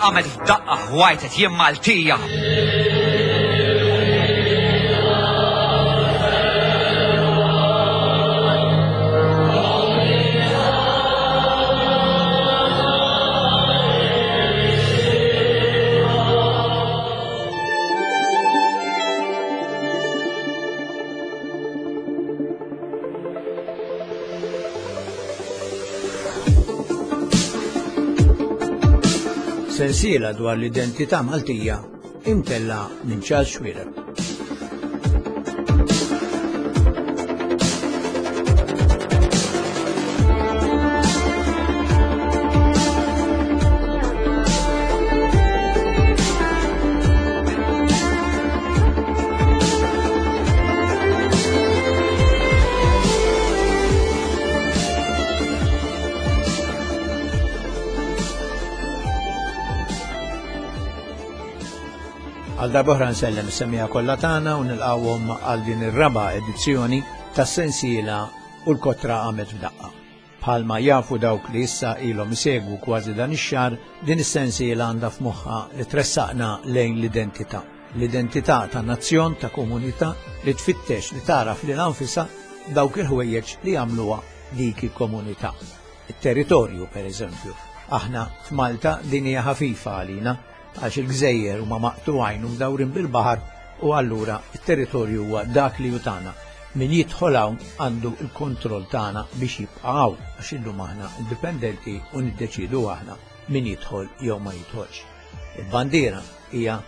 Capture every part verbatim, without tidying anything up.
qamet f'daqqa ħwajtet jien Maltija. Sensiela dwar l-identità Maltija imtella minn Charles Xuereb. Għal darb'oħra nsellem is-semmiegħa kollha tagħna u nilqgħuhom għal din ir-raba' edizzjoni tas-sensiela u l-kotra qamet f'daqqa. Bħalma jafu dawk li issa ilhom isegwu kważi dan ix-xahar, din is-sensiela għandha f'moħħha li tressaqna lejn l-identità. L-identità ta' nazzjon, ta' komunità li tfittex li taraf lil anfisha dawk il-ħwejjeġ li jagħmluha dik il-komunità. Il-territorju, per eżempju. Aħna f'Malta din hija ħafifa għalina għax il-gżejjer huma maqtugħin u mdawrin bil-baħar u allura il-territorju huwa dak li hu tagħna. Min jidħol hawn għandu il-kontroll tagħna biex jibqa' hawn għax illum aħna indipendenti u niddeċidu aħna min jidħol jew ma jidħolx. Il-bandiera hija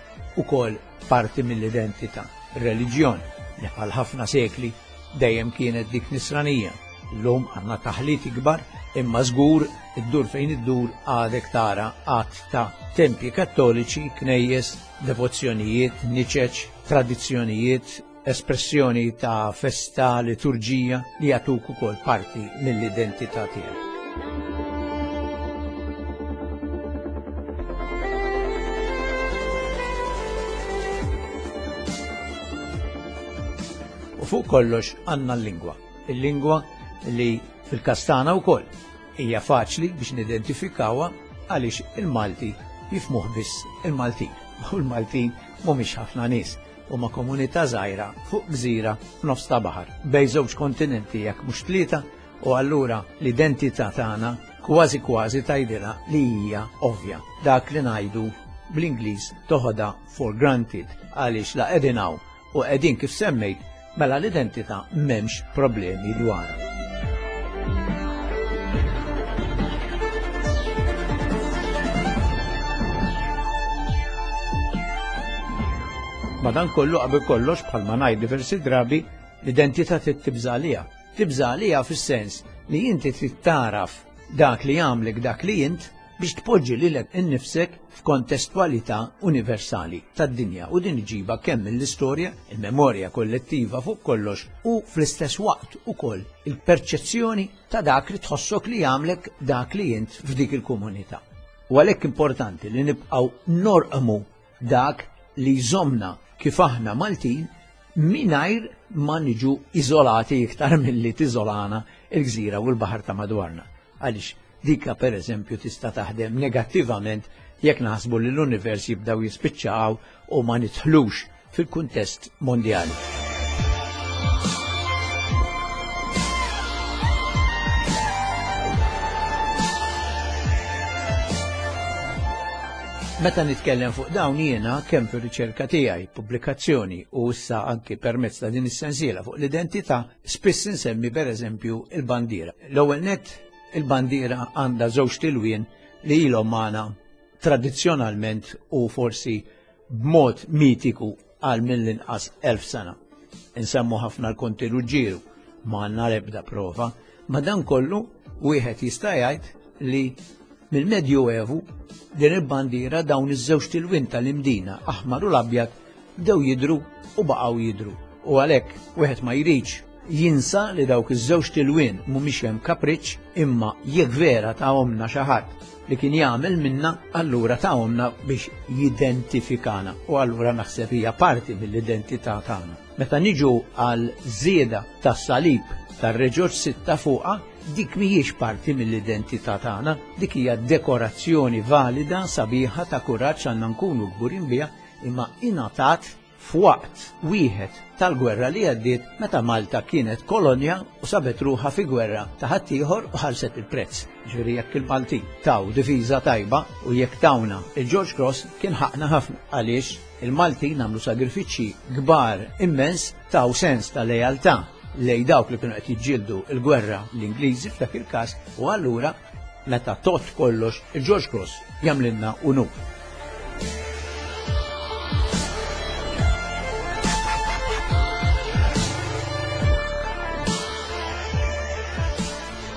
ukoll parti mill-identità. Ir-reliġjon li għal ħafna sekli dejjem kienet dik nisranija. Illum għandna taħlit ikbar imma żgur iddur fejn iddur għadek tara għadd ta' tempji kattoliċi, knejjes, devozzjonijiet, niċeċ, tradizzjonijiet, espressjoni ta' festa, liturġija li jagħtuk ukoll parti mill-identità tiegħek. U fuq kollox għandna l-lingwa. Il-lingwa li fil-każ tagħna wkoll hija faċli biex nidentifikawha għaliex il-Malti jifhmuh biss il-Maltin. U l-Maltin mhumiex ħafna nies, huma komunità żgħira fuq gżira f'nofs ta' baħar, bejn żewġ kontinenti jekk mhux tlieta, u allura l-identità tagħna kważi kważi tgħidilha li hija ovvja. Dak li ngħidu bl-Ingliż toħodha for granted għaliex la qegħdin hawn u qegħdin kif semmejt, mela l-identità m'hemmx problemi dwarha. Madankollu qabel kollox bħalma ngħid diversi drabi, l-identità trid tibża' għaliha. Tibża' għaliha fis-sens li inti trid taraf dak li jagħmlek dak li int biex tpoġġi lilek innifsek f'kontestwalità universali tad-dinja u din iġiba kemm mill-istorja, il-memorja kollettiva fuq kollox u fl-istess waqt ukoll il-perċezzjoni ta' dak li tħossok li jagħmlek dak li int f'dik il-komunità. U għalhekk importanti li nibqgħu norqmu dak li jżomna kif aħna Maltin mingħajr ma niġu iżolati iktar milli tiżolana il-gżira u l-baħar ta' madwarna. Għaliex dika per eżempju tista' taħdem negattivament jekk naħsbu li l-univers jibdaw jispiċċaw u ma nidħlux fil-kuntest mondjali. Meta nitkellem fuq dawn jiena kemm fir-riċerka tiegħi, pubblikazzjoni u issa anki permezz ta' din is-sensiela fuq l-identità, spiss insemmi pereżempju il-bandiera. L-ewwel nett il-bandiera għandha żewġ tilwien li ilhom magħna tradizzjonalment u forsi b'mod mitiku għal mill-inqas elf sena. Insemmu ħafna l-Konti Ruġġieru, ma għandna l-ebda prova, ma dan kollu wieħed jista' jgħid li mill-Medjuevu din il-bandiera dawn iż-żewġ tilwin tal-Imdina, aħmar u l-abjad, bdew jidru u baqgħu jidru. U għalhekk wieħed ma jridx jinsa li dawk iż-żewġ tilwin mhumiex hemm kapriċċ, imma jekk vera tahomna xi ħadd li kien jagħmel minna, allura tahomna biex jidentifikana u allura naħseb hija parti mill-identità tagħna. Meta niġu għal żieda tas-salib tar-Re Ġorġ sitta fuqha, Dik mhijiex parti mill-identità tagħna, dik hija dekorazzjoni valida sabiħa ta' kuraġġ għandna nkunu kburin biha, imma ingħatat f'waqt wieħed tal-gwerra li għaddiet meta Malta kienet kolonja u sabet ruħha fi gwerra ta' ħaddieħor u ħallset il-prezz. Ġifieri jekk il-Maltin taw difiża tajba u jekk tawna il-George Cross kien ħaqna ħafna għaliex il-Maltin għamlu sagrifiċċji kbar immens taw sens ta' lealtà lej dawk li kienu qed jiġġieldu l-gwerra l-Ingliżi f'dak il-każ u allura meta tot kollox il-George Cross jagħmlilna unur.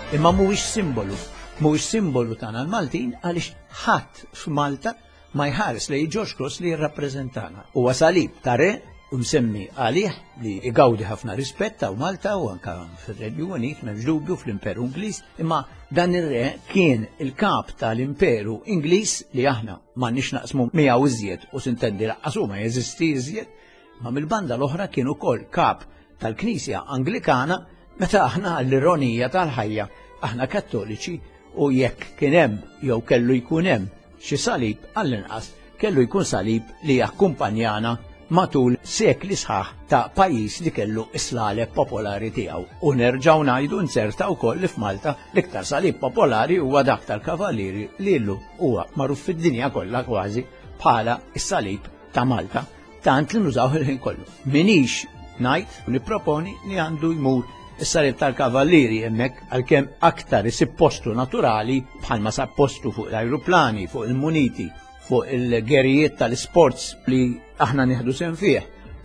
Imma mhuwiex simbolu, mhuwiex simbolu tagħna l-Maltin għaliex ħadd f'Malta ma jħares lej George Cross li jirrappreżentana. Huwa salib ta' re u msemmi għalih li igawdi ħafna rispett ta' Malta u anka fir-Renju Unit m'hemmx dubju fl-Imperu Ingliż, imma dan ir-re kien il-kap tal-Imperu Ingliż li aħna m'għandniex naqsmu miegħu iżjed u sintendi laqqas ma jeżisti iżjed, ma mill-banda l-oħra kien ukoll kap tal-Knisja Anglikana meta aħna l-ironija tal-ħajja aħna kattoliċi u jekk kien hemm jew kellu jkun hemm xi salib għall-inqas kellu jkun salib li jakkumpanjana matul sekli sħaħ ta' pajjiż li kellu is-slaleb popolari tiegħu. U nerġgħu ngħidu nzerta wkoll li f'Malta l-iktar salib popolari huwa dak tal-Kavallieri li llum huwa magħruf fid-dinja kollha kważi bħala s-salib ta' Malta, tant li nużaw il-ħin kollu. Minix ngħid u nipproponi li għandu jmur is-salib tal-Kavallieri hemmhekk għalkemm aktar isib postu naturali bħalma sab postu fuq l-ajruplani, fuq il-muniti, fuq il-gerijiet tal-sports li aħna nieħdu sehem fih,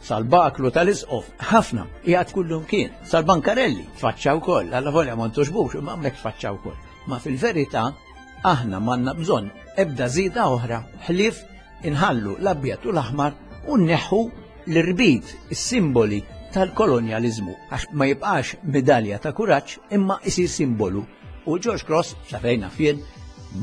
sal-baklu tal-isqof, ħafna, qiegħed kullum kien, sal-bankarelli, tfaċċa wkoll, alla volja ma ntoxbux, imma hemmhekk tfaċċa wkoll. Ma fil-verità aħna m'għandna bżonn ebda żieda oħra ħlief inħallu l-abjad u l-aħmar u nneħħu l-irbit, is-simboli tal-kolonjalizmu, għax ma jibqax medalja ta' kuraġġ imma isir simbolu. U George Cross, sa fejna fien,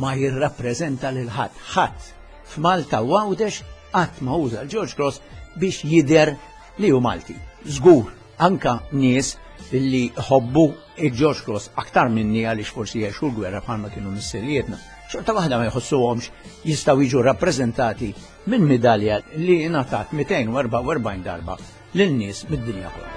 ma jirrappreżenta lil ħadd. Ħadd f'Malta u Għawdex qatt ma uża l-George Cross biex jidher li hu Malti. Żgur, anka nies li ħobbu il-George Cross aktar minni għaliex forsi jgħixu l-gwerra bħalma kienu missirietna. Xorta waħda ma jħossuhomx jistgħu jiġu rappreżentati minn medalja li ngħatat mitejn u erbgħa u erbgħin darba lil nies mid-dinja kollha.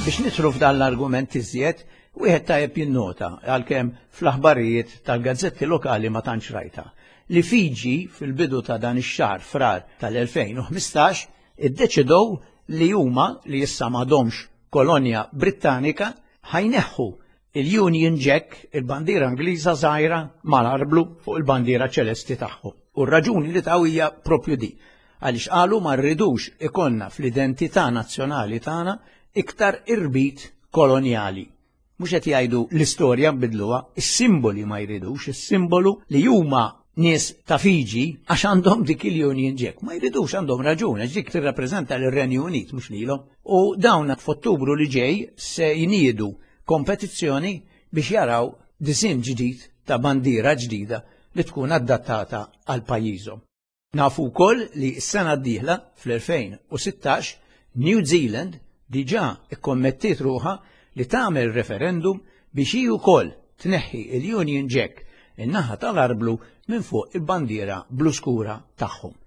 Biex nidħlu f'dan l-argument iżjed, wieħed tajjeb jinnota għalkemm fl-aħbarijiet tal-gazzetti lokali ma tantx rajta li Fiji fil-bidu ta' dan ix-xahar frar tal-elfejn u ħmistax iddeċidew li huma li issa m'għadhomx kolonja Brittanika ħajneħħu il-Union Jack, il-bandiera Ingliża żgħira mal-arblu fuq il-bandiera ċelesti tagħhom. U r-raġuni li taw hija propju di, għaliex qalu ma rridux ikollna fl-identità nazzjonali tagħna iktar irbit kolonjali. Mhux qed jgħidu l-istorja nbidluha, is-simboli ma jridux, is-simbolu li huma nies ta' Fiji għax għandhom dik il-Union Jack. Ma jridux, għandhom raġun, għax dik tirrappreżenta lir-Renju Unit mhux lilhom. U dawn f'Ottubru li ġej se jniedu kompetizzjoni biex jaraw disinn ġdid ta' bandiera ġdida li tkun adattata għal pajjiżhom. Nafu wkoll li s-sena d-dieħla fl-elfejn u sittax New Zealand diġà ikkommettiet ruħha li tagħmel referendum biex hi wkoll tneħħi il-Union Jack in-naħa tal-arblu minn fuq il-bandiera blu skura tagħhom.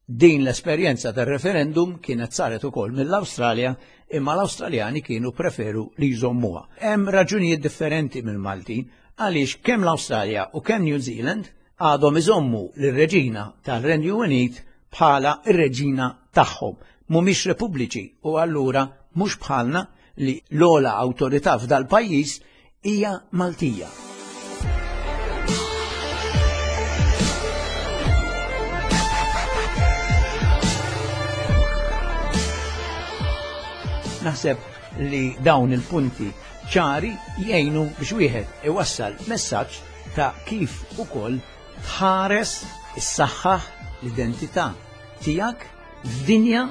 Din l-esperjenza tar-referendum kienet saret ukoll mill-Awstralja, imma l-Awstraljani kienu preferu li jżommuha. Hemm raġunijiet differenti mill-Maltin għaliex kemm l-Awstralja u kemm New Zealand għadhom iżommu lir-reġina tal-Renju Unit bħala r-reġina tagħhom. Mhumiex repubbliċi u allura mhux bħalna li l-ogħla awtorità f'dal-pajjiż hija Maltija. Naħseb li dawn il-punti ċari jgħinu biex wieħed iwassal messaġġ ta' kif ukoll tħares is-saħħaħ l-identità tiegħek f'dinja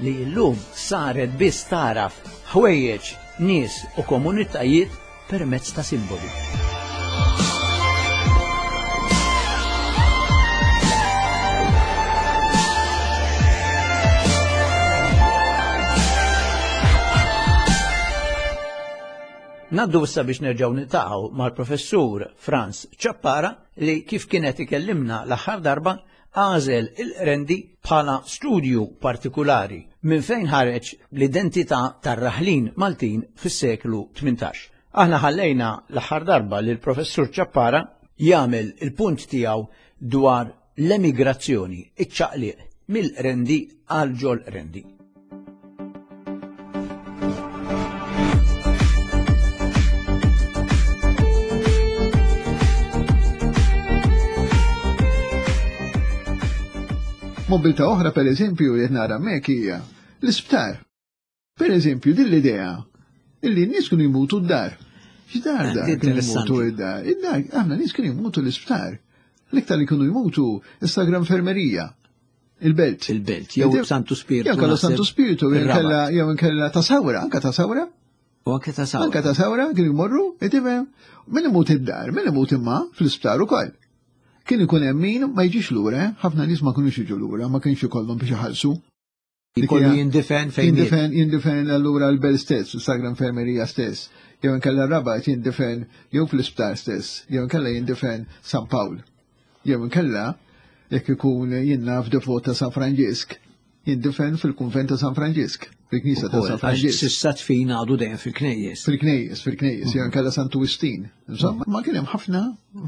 li llum saret biss taraf ħwejjeġ, nies u komunitajiet permezz ta' simboli. Naddu issa biex nerġgħu niltaqgħu mal-professur Frans Ciappara li kif kienet ikellimna l-aħħar darba għażel il-Qrendi bħala studju partikulari minn fejn ħareġ l-identità tar-raħlin Maltin fis-seklu tmintax. Aħna ħallejna l-aħħar darba li l-professur Ciappara jagħmel il-punt tiegħu dwar l-emigrazzjoni, iċ-ċaqliq mill-Qrendi għal ġol Qrendi. Mobilità oħra, per eżempju, li nara hemmhekk hija l-isptar. Per eżempju, din l-idea illi n-nies kienu jmutu d-dar. X'dar dar kienu jmutu d-dar? Id-dar, aħna nies kienu jmutu l-isptar. L-iktar li kienu jmutu is-Sagra Infermerija. Il-Belt. Il-Belt, jew Santu Spiritu. Jew kella Santu Spiritu, jew inkella ta' Sawra, anka ta' Sawra. U anke ta' Sawra. Anka ta' Sawra kienu jmorru, tifhem, min imut id-dar, min imut imma fl-isptar ukoll. Kien ikun hemm min ma jiġix lura, ħafna nies ma kinux jiġu lura, ma kienx ikollhom biex iħallsu. Ikollu jindifen fejn jindifen, jindifen allura l-Belt stess, is-Sagra Infermerija stess, jew inkella Rabat jindifen jew fl-isptar stess, jew inkella jindifen San Pawl. Jew inkella jekk ikun jinnaf devot ta' San Franġisk, jindifen fil-kunvent ta' San Franġisk, fil-knisja ta' San Franġisk. S'issa tfin għadu dejjem fil-knejjes. Fil-knejjes, fil-knejjes, jew inkella Santu Wistin. Insomma, ma kien hemm ħafna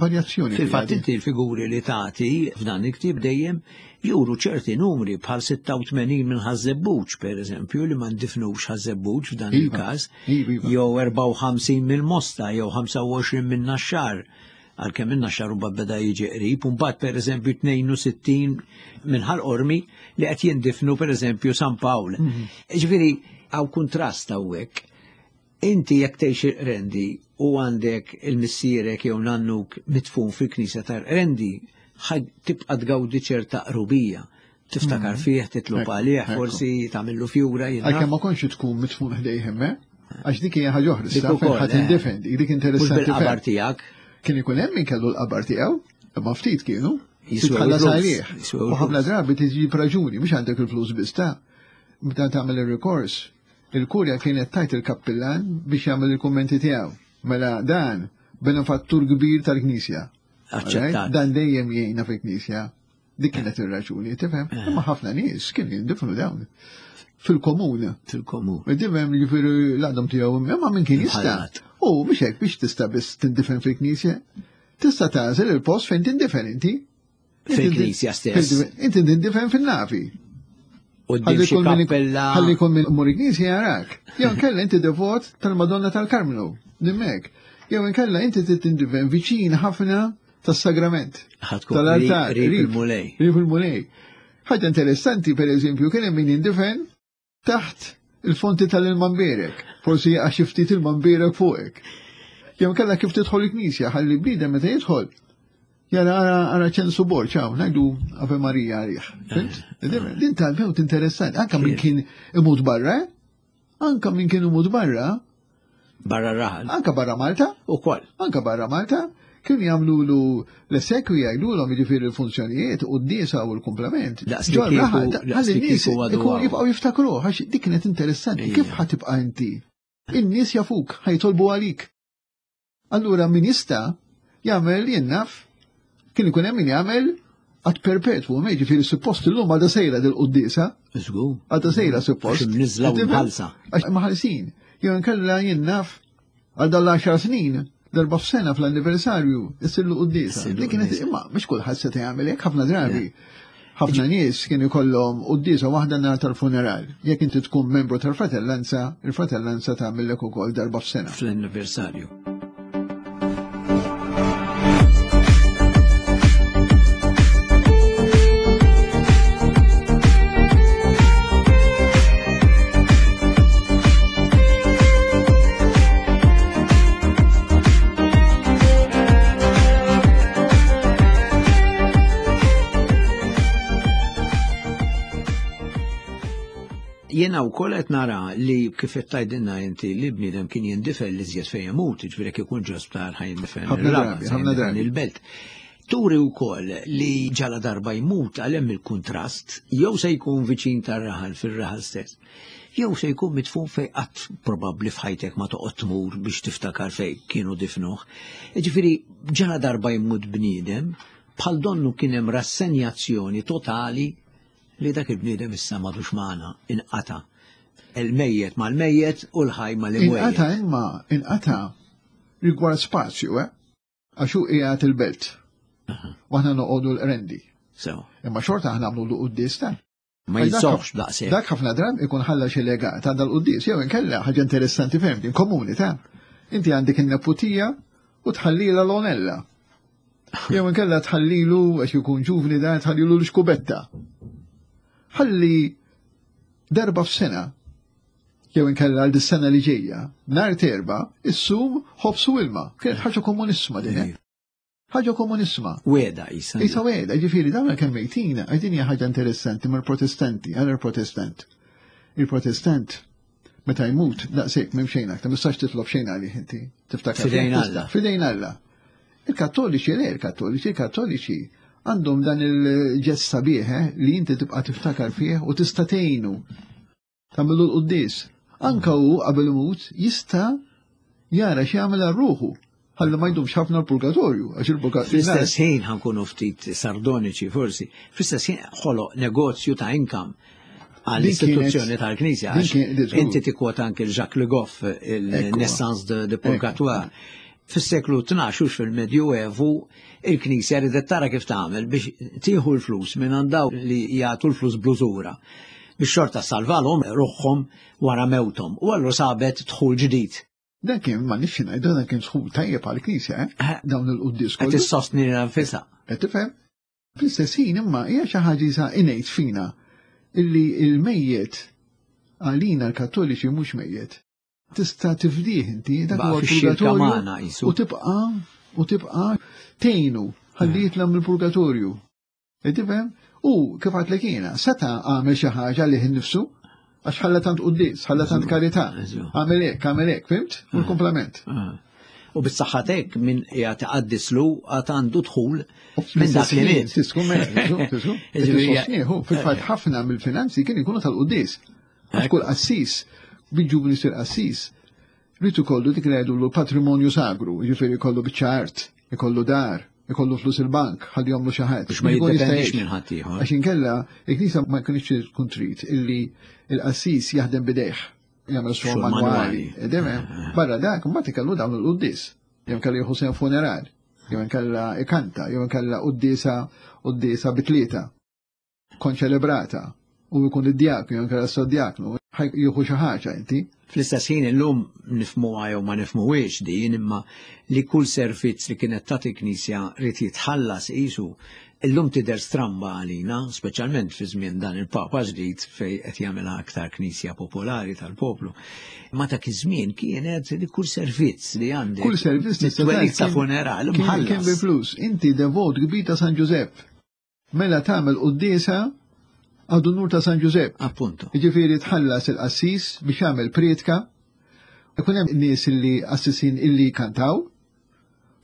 varjazzjoni. Fil-fatt inti l-figuri li tagħti f'dan il-ktieb dejjem juru ċerti numri bħal sitta u tmenin minn Ħaż-Żebbuġ, per eżempju, li ma ndifnux Ħaż-Żebbuġ f'dan il-każ, jew erbgħa u ħamsin mill-Mosta, jew ħamsa u għoxrin minn Naxxar, għalkemm minn Naxxar u beda jiġi qrib, u mbagħad per eżempju tnejn u sittin minn Ħal Qormi li qed jindifnu per eżempju San Pawl. Ġifieri hawn kuntrast hawnhekk. Inti jekk tgħix il-Qrendi u għandek il-missierek jew nannuk mitfun fil-knisja tal-Qrendi, tibqa' tgawdi ċerta qrubija. Tiftakar fih, titlob għalih, forsi tagħmillu fjura. Għalkemm ma kontx tkun mitfun ħdejh hemm, għax dik hija ħaġa oħra, issa fejn ħadd indifen, dik interessanti. Mhux bil-qabar tiegħek. Kien ikun hemm min kellu l-qabar tiegħu, imma ftit kienu, titħallas għalih. U ħafna drabi tiġi raġuni, mhux għandek il-flus biss ta' meta tagħmel ir-rikors. Il-kurja kienet tajt il-kappillan biex jagħmel il-kummenti tiegħu. Mela dan benefattur kbir tal-Knisja. Aċċettat. Dan dejjem jgħinna fil-Knisja. Dik kienet ir-raġuni, tifhem? Imma ħafna nies kienu jindifnu dawn fil-komun. Fil-komun. Tifhem, jiġifieri l-għadhom tiegħu imma min kien jista'. U biex hekk biex tista' biss tindifen fil-Knisja, tista' tagħżel il-post fejn tindifen inti. Fil-Knisja stess. Inti tindifen fin-nafi. Ħalli jkun minn mur il-Knisja jarak. Jew inkella inti devot tal-Madonna tal-Karmnu, nimmek. Jew inkella inti tindifen viċin ħafna tas-sagrament. Tal-altar. Rib il-Mulej. Rib il-Mulej. Ħaġa interessanti, per eżempju, kien hemm min jindifen taħt il-fonti tal-ilma mbierek. Forsi għax ftit ilma mbierek fuqek. Jew inkella kif tidħol il-Knisja, ħalli bniedem meta jidħol. Jara ara ara ċensu Borg, hawn ngħidu Ave Marija għalih. Din tal-mewt interessanti, anka min kien imut barra, anka min kien imut barra. Barra raħal. Anka barra Malta. Ukoll. Anka barra Malta. Kienu jagħmlulu l-esekwi jgħidulhom jiġifieri l-funzjonijiet u d-diesa u l-komplement. Ħalli n-nies jibqgħu jiftakruh għax dik kienet interessanti. Kif ħa tibqa' inti? In-nies jafuk, ħajtolbu għalik. Allura min jista' jagħmel jinnaf, kien ikun hemm min jagħmel għad perpetwu, ma jiġifieri suppost illum għadha sejra dil-quddiesa. Żgur. Għadha sejra suppost. Għax imniżla u mħallsa. Għax maħallsin. Jew inkella jinnaf għal dan l-għaxar snin, darba f'sena fl-anniversarju, issirlu quddiesa. Dik kienet imma mhux kulħadd seta' jagħmel hekk ħafna drabi. Ħafna nies kienu jkollhom quddiesa waħda nhar tal-funeral. Jekk inti tkun membru tal-fratellanza, il-fratellanza tagħmellek ukoll darba f'sena. Fl-anniversarju. Jena u koll qed nara li kif qed tgħidilna inti li bniedem kien jindifel li żjed fejn imut, jiġifieri jekk ikun ġo sptar ħa jindifel il-belt. Turi wkoll li ġala darba jmut għal hemm il-kuntrast, jew se jkun viċin tar-raħal fir-raħal stess, Jew se jkun midfun fej qatt probabbli f'ħajtek ma toqgħod tmur biex tiftakar fej kienu difnuh. Ġifieri ġara darba jmut bniedem, bħal donnu kien hemm rassenjazzjoni totali li dak il-bniedem issa m'għadux magħna, inqata'. Il-mejjet mal-mejjet u l-ħaj mal-imwejjet. Inqata' imma, inqata' rigward spazju, eh? Għax hu qiegħed il-belt. U aħna noqogħdu l-Qrendi. So. Imma xorta aħna nagħmlu l-quddies ta'. Ma jinsofx daqshekk. Dak ħafna drabi ikun ħalla xi legat għandha l-quddies, jew inkella ħaġa interessanti ferm din komuni ta'. Inti għandek in-neputija u tħallilha l-onella. Jew inkella tħallilu għax ikun ġuvni da tħallilu l-xkubetta. Ħalli darba f'sena jew inkella għal dis-sena li ġejja, nhar t'Erbgħa, issum ħobż u ilma. Kienet ħaġa komunissima din. Eh? Ħaġa komunissima. Weda isa. Isa weda, ġifieri dawn kemm mejtin, din hija ħaġa interessanti mal-Protestanti, għal il-Protestant. Il-Protestant meta jmut daqshekk m'hemm xejn aktar, mistax titlob xejn għalih inti. Tiftakar. Fidejn Alla. Fidejn Alla. Il-Kattoliċi le, il-Kattoliċi, il-Kattoliċi għandhom dan il-ġest sabiħ eh, li inti tibqa' tiftakar fih u tista' tgħinu. Tagħmlu l-quddies. Anka hu qabel imut jista' jara x'jagħmel għal ruħu. Ħalli ma jdumx ħafna l-purgatorju, għax il-purgatorju. Fl-istess ħin ħa nkunu ftit sardoniċi forsi, fl-istess ħin ħoloq negozju ta' income għall-istituzzjoni tal-Knisja. Inti tikkwota anke Jacques Le Goff, il-Naissance de, de Purgatoire. Fis-seklu tnax u fil-Medjuevu il-Knisja ridet tara kif tagħmel biex tieħu l-flus minn għand li jagħtu l-flus bl-użura biex xorta salvalhom ruħhom wara mewthom. U allura sabet dħul ġdid. Dan kien ma nifx ngħidu dan kien dħul tajjeb għall-Knisja, eh? Dawn il-quddies kollu. Qed issostni nfisha. Qed tifhem? Fl-istess ħin imma hija xi ħaġa isa innate fina illi il-mejjet għalina l-Kattoliċi mhux mejjet. Tista' tifdih inti dak huwa l-purgatorju u tibqa' u tibqa' tgħinu ħalli jitla' mill-purgatorju. Tifhem? U kif għedtlek jiena, seta' għamel xi ħaġa lih innifsu, għax ħalla tant quddies, ħalla tant karità. Għamel hekk, għamel hekk, fhimt? U l-komplement. U bis-saħħatek minn qiegħed iqaddislu għad għandu dħul minn dak li miet. Fil-fatt ħafna mill-finanzi kien ikunu tal-quddies. Għax kull qassis, biġu jsir qassis, rritu kollu dik li jgħidu l-patrimonju sagru, jiġifieri jkollu biċċa art, ikollu dar, ikollu flus il-bank, ħalli jagħmlu xi ħadd. Biex ma jiddependix minn ħadd ieħor. Għax inkella il-Knisja ma jkunx tkun trid illi il-qassis jaħdem bidejh, jagħmel xogħol manwali. Barra dak, mbagħad ikellu dawn il-quddies. Jew inkella jieħu sehem funeral, jew inkella ikanta, jew inkella quddiesa quddiesa bitlieta konċelebrata u jkun id-djaknu, jew inkella s-sodjaknu, jieħu xi ħaġa inti. Fl-istess ħin illum nifhmuha jew ma nifhmuhiex din, imma li kull servizz li kienet tagħti Knisja rid jitħallas qisu, illum tidher stramba għalina, speċjalment fi żmien dan il-Papa ġdid fej qed jagħmilha aktar Knisja popolari tal-poplu. Ma dak iż-żmien kienet li kull servizz li għandek. Kull servizz mit-twelid ta' funeral mħallas. Kien bi flus. Inti devot kbir ta' San Ġużepp. Mela tagħmel quddiesa għad-unur ta' San Ġużepp. Appunto. Jiġifieri tħallas il-qassis biex jagħmel prietka. Ikun hemm nies illi qassisin illi kantaw.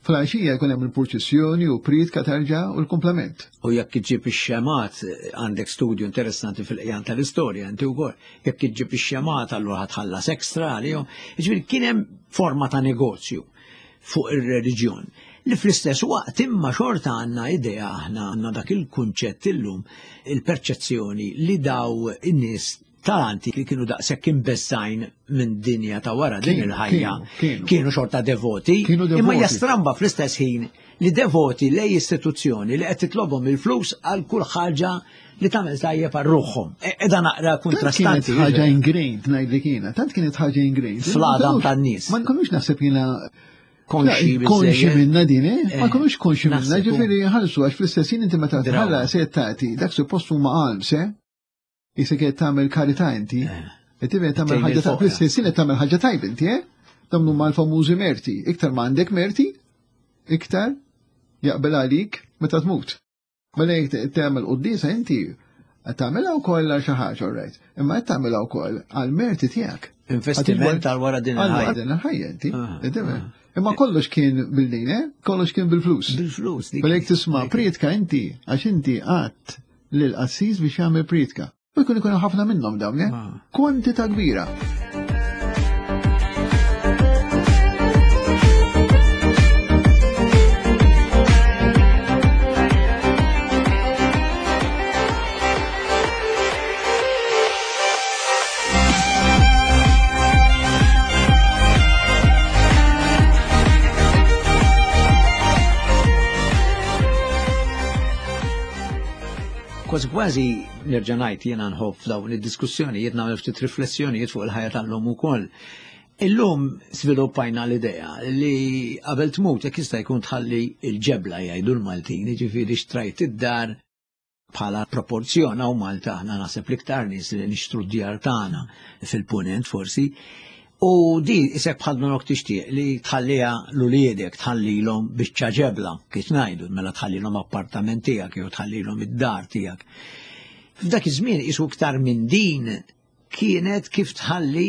Fl-għaxija jkun hemm il-purċissjoni u prietka terġa' u l-komplement. U jekk iġġib ix-xemat, għandek studju interessanti fil-qjan tal-istorja, inti wkoll, jekk iġġib ix-xemat allura ħatħallas ekstra għalihom. Jiġifieri kien hemm forma ta' negozju fuq ir-reliġjon. Li fl-istess waqt imma xorta għandna idea, aħna għandna dak il-kunċett illum, il-perċezzjoni li daw in-nies tal-antik li kienu daqshekk imbeżżgħin minn dinja ta' wara din il-ħajja, kienu xorta devoti, imma jastramba fl-istess ħin li devoti lej istituzzjoni li qed titlobhom il-flus għal kull ħaġa li tagħmel tajjeb għal ruħhom. Qiegħda naqra kontrastanti. Tant kienet ħaġa ingrained ngħidlek jiena, tant kienet ħaġa ingrained. Fl-għadam tan-nies. Ma nkunux naħseb jiena konxi konxi minna din, eh? Ma nkunux konxi minna, ġifieri ħalsu għax fl-istess ħin inti meta tħallas se tagħti dak suppost huma qalb se. Issa qed tagħmel karità inti. Qed tibgħet tagħmel ħaġa ta' fl-istess ħin qed tagħmel ħaġa tajba inti, eh? Dawn huma l-famużi merti. Iktar ma għandek merti, iktar jaqbel għalik meta tmut. Mela jekk tagħmel quddiesa inti qed tagħmilha wkoll għal xi ħaġa, all right. Imma qed tagħmilha wkoll għal merti tiegħek. Investiment għal wara din il-ħajja. Għal din il-ħajja inti. Imma kollox kien bil-din, eh? Kollox kien bil-flus. Bil-flus. Mela jekk tisma' prietka inti, għax inti qatt lil qassis biex jagħmel prietka. U jkun ikun ħafna minnhom dawn, eh? Kwantità kbira. Kważi kważi nerġa' ngħid jiena nħobb f'dawn id-diskussjonijiet nagħmel ftit riflessjonijiet fuq il-ħajja tal-lum ukoll. Illum sviluppajna l-idea li qabel tmut jekk jista' jkun tħalli l-ġebla jgħidu l-Maltin, jiġifieri xtrajt id-dar bħala proporzjon hawn Malta aħna naħseb l-iktar nies li nixtru d-djar tagħna fil-punent forsi. U di isek bħal nonok tixtieq li tħalliha l-uliedek, tħallilhom biċċa ġebla, kif ngħidu, mela tħallilhom appartament tiegħek jew tħallilhom id-dar tiegħek. F'dak iż-żmien isu iktar minn din kienet kif tħalli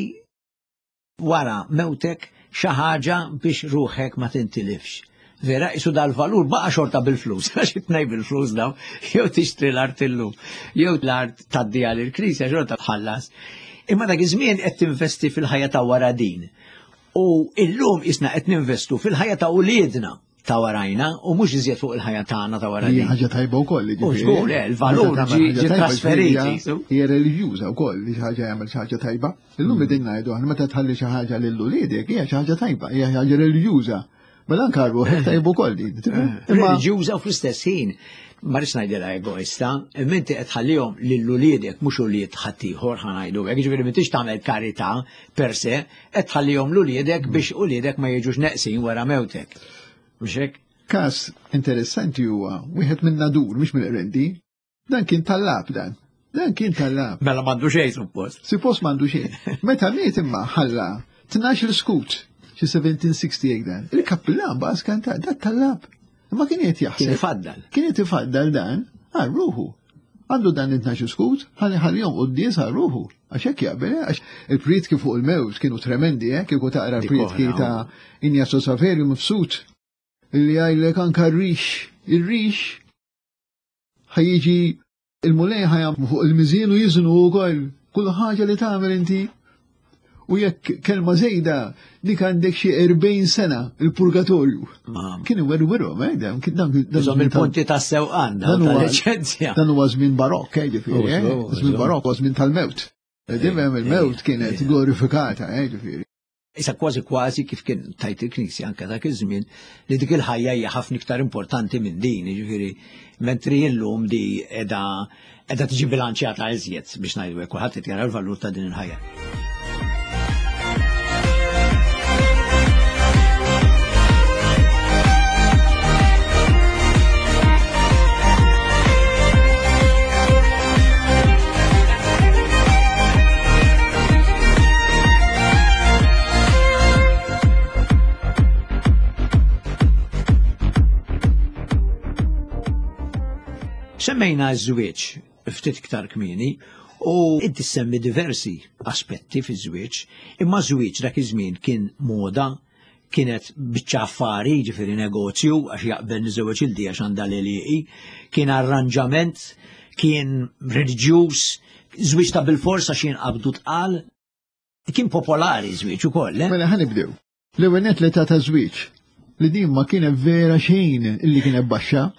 wara mewtek xi ħaġa biex ruħek ma tintilifx. Vera, isu dal-valur baqa xorta bil-flus, għax itnej bil-flus daw, jew tixtri l-art illum, jew l-art tgħaddiha lill-Knisja xorta tħallas. Imma dak iż-żmien qed tinvesti fil-ħajja ta' wara din. U illum isna qed ninvestu fil-ħajja ta' uliedna ta' warajna u mhux iżjed fuq il-ħajja tagħna ta' wara din. Hija ħaġa tajba wkoll. U żgur, il-valur ġie trasferiti. Hija reliġjuża wkoll li xi ħaġa jagħmel xi ħaġa tajba. Illum qegħdin ngħidu aħna meta tħalli xi ħaġa lil uliedek hija xi ħaġa tajba, hija ħaġa reliġjuża. Mela anke ruħek tajba wkoll din. Reliġjuża u fl-istess ħin ma rridx ngħidilha egoista, imma inti qed tħallihom lil uliedek mhux ulied ħaddieħor ħa ngħidu hekk, jiġifieri m'intix tagħmel karità per se, qed tħallihom l uliedek biex uliedek ma jiġux neqsin wara mewtek. Mhux hekk? Każ interessanti huwa wieħed minn Nadur mhux mill-Qrendi. Dan kien tallab dan. Dan kien tallab. Mela m'għandu xejn suppost. Suppost m'għandu xejn. Meta miet imma ħalla tnax-il skut xi seventeen sixty-eight dan. Il-kappillan baqa' skantat, dat tallab. Ma kien qed jaħseb. Kien ifaddal. Kien qed ifaddal dan għal ruħu. Għandu dan it-tnax skut, ħalli ħallihom quddies għal ruħu. Għax hekk jaqbel, għax il-prietki fuq il-mewt kienu tremendi, eh, kieku taqra l-prietki ta' Ignazio Saverio Mifsud li jgħidlek anke r-rix, ir-rix ħajjiġi il-Mulej ħajam fuq il-miżien u jiżnu wkoll kull ħaġa li tagħmel inti. U jekk kelma żejda dik għandek xi erbgħin sena il-purgatorju. Kien iwerwirhom, eh, dan dan il-punti tas-sewqan tal-liċenzja. Dan huwa żmien barokk, eh, ġifieri, eh, żmien barokk huwa żmien tal-mewt. Dejjem il-mewt kienet glorifikata, eh, ġifieri. Issa kważi kważi kif kien tajt il-Knisja anke dak iż-żmien li dik il-ħajja hija ħafna iktar importanti minn din, jiġifieri mentri llum di qiegħda qiegħda tiġi bilanċjata iżjed biex ngħidu hekk kulħadd qed jara l-valur ta' din il-ħajja. Semmejna ż-żwieġ ftit iktar kmieni u inti semmi diversi aspetti fiż-żwieġ, imma żwieġ dak iż-żmien kien moda, kienet biċċa affari, ġifieri negozju, għax jaqbel niżewweġ il-di għax għandha l-għelieqi, kien arranġament, kien reliġjuż, żwieġ ta' bilfors għax jinqabdu tqal, kien popolari żwieġ ukoll. Mela ħa nibdew. L-ewwel nett l-età ta' żwieġ li din ma kienet vera xejn illi kienet baxxa.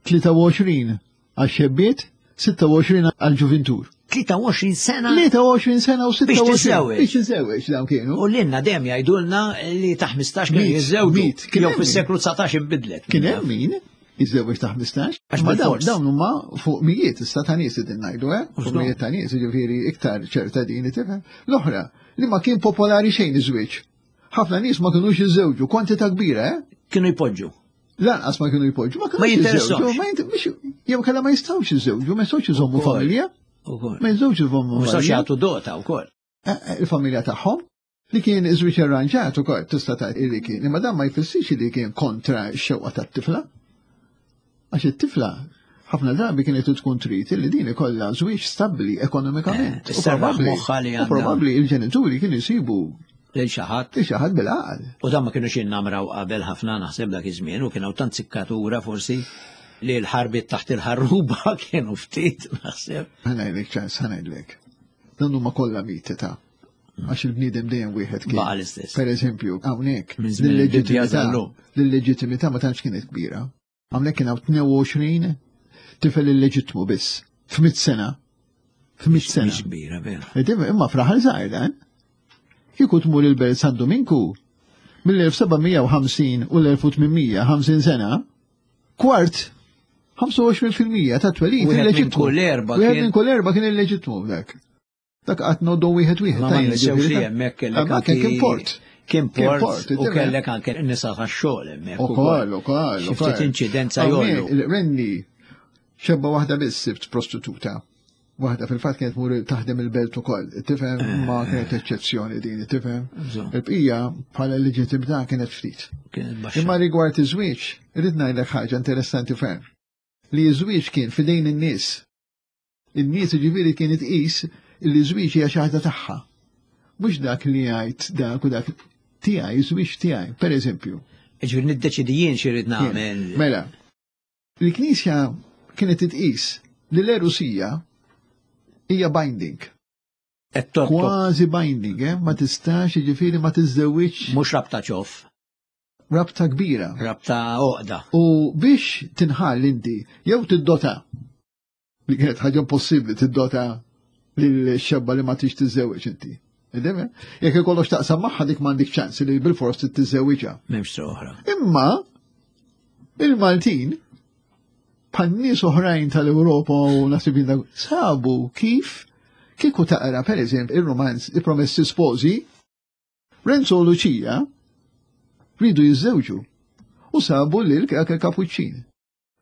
tlieta u għoxrin għax-xebbiet, sitta u għoxrin għal-ġuvintur. tlieta u għoxrin sena? tlieta u għoxrin sena u sitta u Biex għoxrin. tiżżewweġ. Biex tiżżewweġ dawn kienu. U lilna dejjem jgħidulna li ta' ħmistax kienu Mit, jiżżewġu. mit, kien Jew hemm fis-seklu dsatax inbidlet. Kien hemm min jiżżewweġ ta' ħmistax. Għax Ma dawn bil-fors. dawn huma fuq mijiet issa ta' nies qegħdin ngħidu, eh? Fuq Żgur. mijiet ta' nies, jiġifieri iktar ċerta din tifhem. L-oħra, li ma kien popolari xejn iż-żwieġ. Ħafna nies ma kinux jiżżewġu, kwantità kbira, eh? Kienu jpoġġu. Lanqas ma kienu jpoġġu, ma Ma kinux jinteressawx. jiżżewġu, ma jint-, mhux, jew kellha ma jistgħux jiżżewġu, ma jistgħux iżommu Ukoll. familja. Ukoll. Ma jistgħux iżommu Ma jistgħux familja. jagħtu dota wkoll. Eh, eh, il-familja tagħhom li kien iż-żwieġ arranġat ukoll tista' tgħid li kien, imma dan ma jfissirx li kien kontra x-xewqa tat-tifla. Għax it-tifla ħafna drabi kienet tkun trid li din ikollha żwieġ stabbli ekonomikament. Eh, U isserraħ probabbli moħħha li u għandha. probabbli il-ġenituri kienu jsibu Lil xi ħadd. Lil xi ħadd bil-għaqal. U dan ma kienux jinnamraw qabel ħafna naħseb dak iż-żmien u kien hawn tant sikkatura forsi. Li l-ħarbiet taħt il-ħarruba kienu ftit, naħseb. Ħa ngħidlek ċans, ħa ngħidlek. Dan huma kollha miti ta' għax il-bniedem dejjem wieħed kien. Baqa' l-istess. Per eżempju, hawnhekk Minn żmien il-Bibbja l-leġittimità sal-lum. l-leġittimità ma tantx kienet kbira. Hawnhekk kien hawn tnejn u għoxrin tifel illeġittmu biss. F'mitt sena. F'mitt sena. Mhix kbira, vera. Id-dim, imma f'raħal żgħir dan. Kieku tmur il-Belt San Dominku mill-elf seba' mija u ħamsin u l-elf u tmien mija u ħamsin sena, kwart ħamsa u għoxrin fil-mija ta' twelid Wieħed minn illeġittmu. kull erba' Wieħed kien minn kull erba' kien illeġittmu dak. Dak qatt noddu wieħed wieħed. Ma ma tajjeb, ninsewx li ġifieri, hemmhekk kellek Ma kien anki kien port. Kien Kien port port, u id-dema. kellek anke nisa tax-xogħol hemmhekk Ukoll, ukoll, Xi ftit ukoll. inċidenza Hawnhekk, jollu. Il-Renni xebba waħda biss sibt prostituta. Waħda fil-fatt kienet mur taħdem il-belt ukoll. Tifhem, ma kienet eċċezzjoni din, tifhem. Bżonn. Il-bqija bħala leġittimità kienet ftit. Kienet baxxa. Imma rigward iż-żwieġ, irrid ngħidlek ħaġa interessanti ferm. Li ż-żwieġ kien fidejn in-nies. In-nies ġifieri kien itqis li ż-żwieġ hija xi ħaġa tagħha. Mhux dak li jgħid dak u dak tiegħi, żwieġ tiegħi, per eżempju. Ġifieri niddeċidi jien xi rrid nagħmel. Mela, il-Knisja kienet titqis li l-erusija hija binding. Qed torbtok. Kważi binding, eh? Ma tistax, jiġifieri ma tiżżewwiġ. Mhux rabta ċoff. Rabta kbira. Rabta għoqda. U biex tinħall inti, jew tiddota, li kienet ħaġa impossibbli tiddota lil xebba li ma tix tiżżewweġ inti. Ideme? Jekk ikollok taqsam magħha dik m'għandek ċans li bil-fors tiżżewwiġha. M'hemmx triq oħra. Imma il-Maltin bħal nies oħrajn tal-Ewropa u nasib dak sabu kif kieku taqra per eżempju il-romanz I Promessi Sposi, Renzo u Lucia ridu jiżżewġu u sabu lil il-kapuċċin.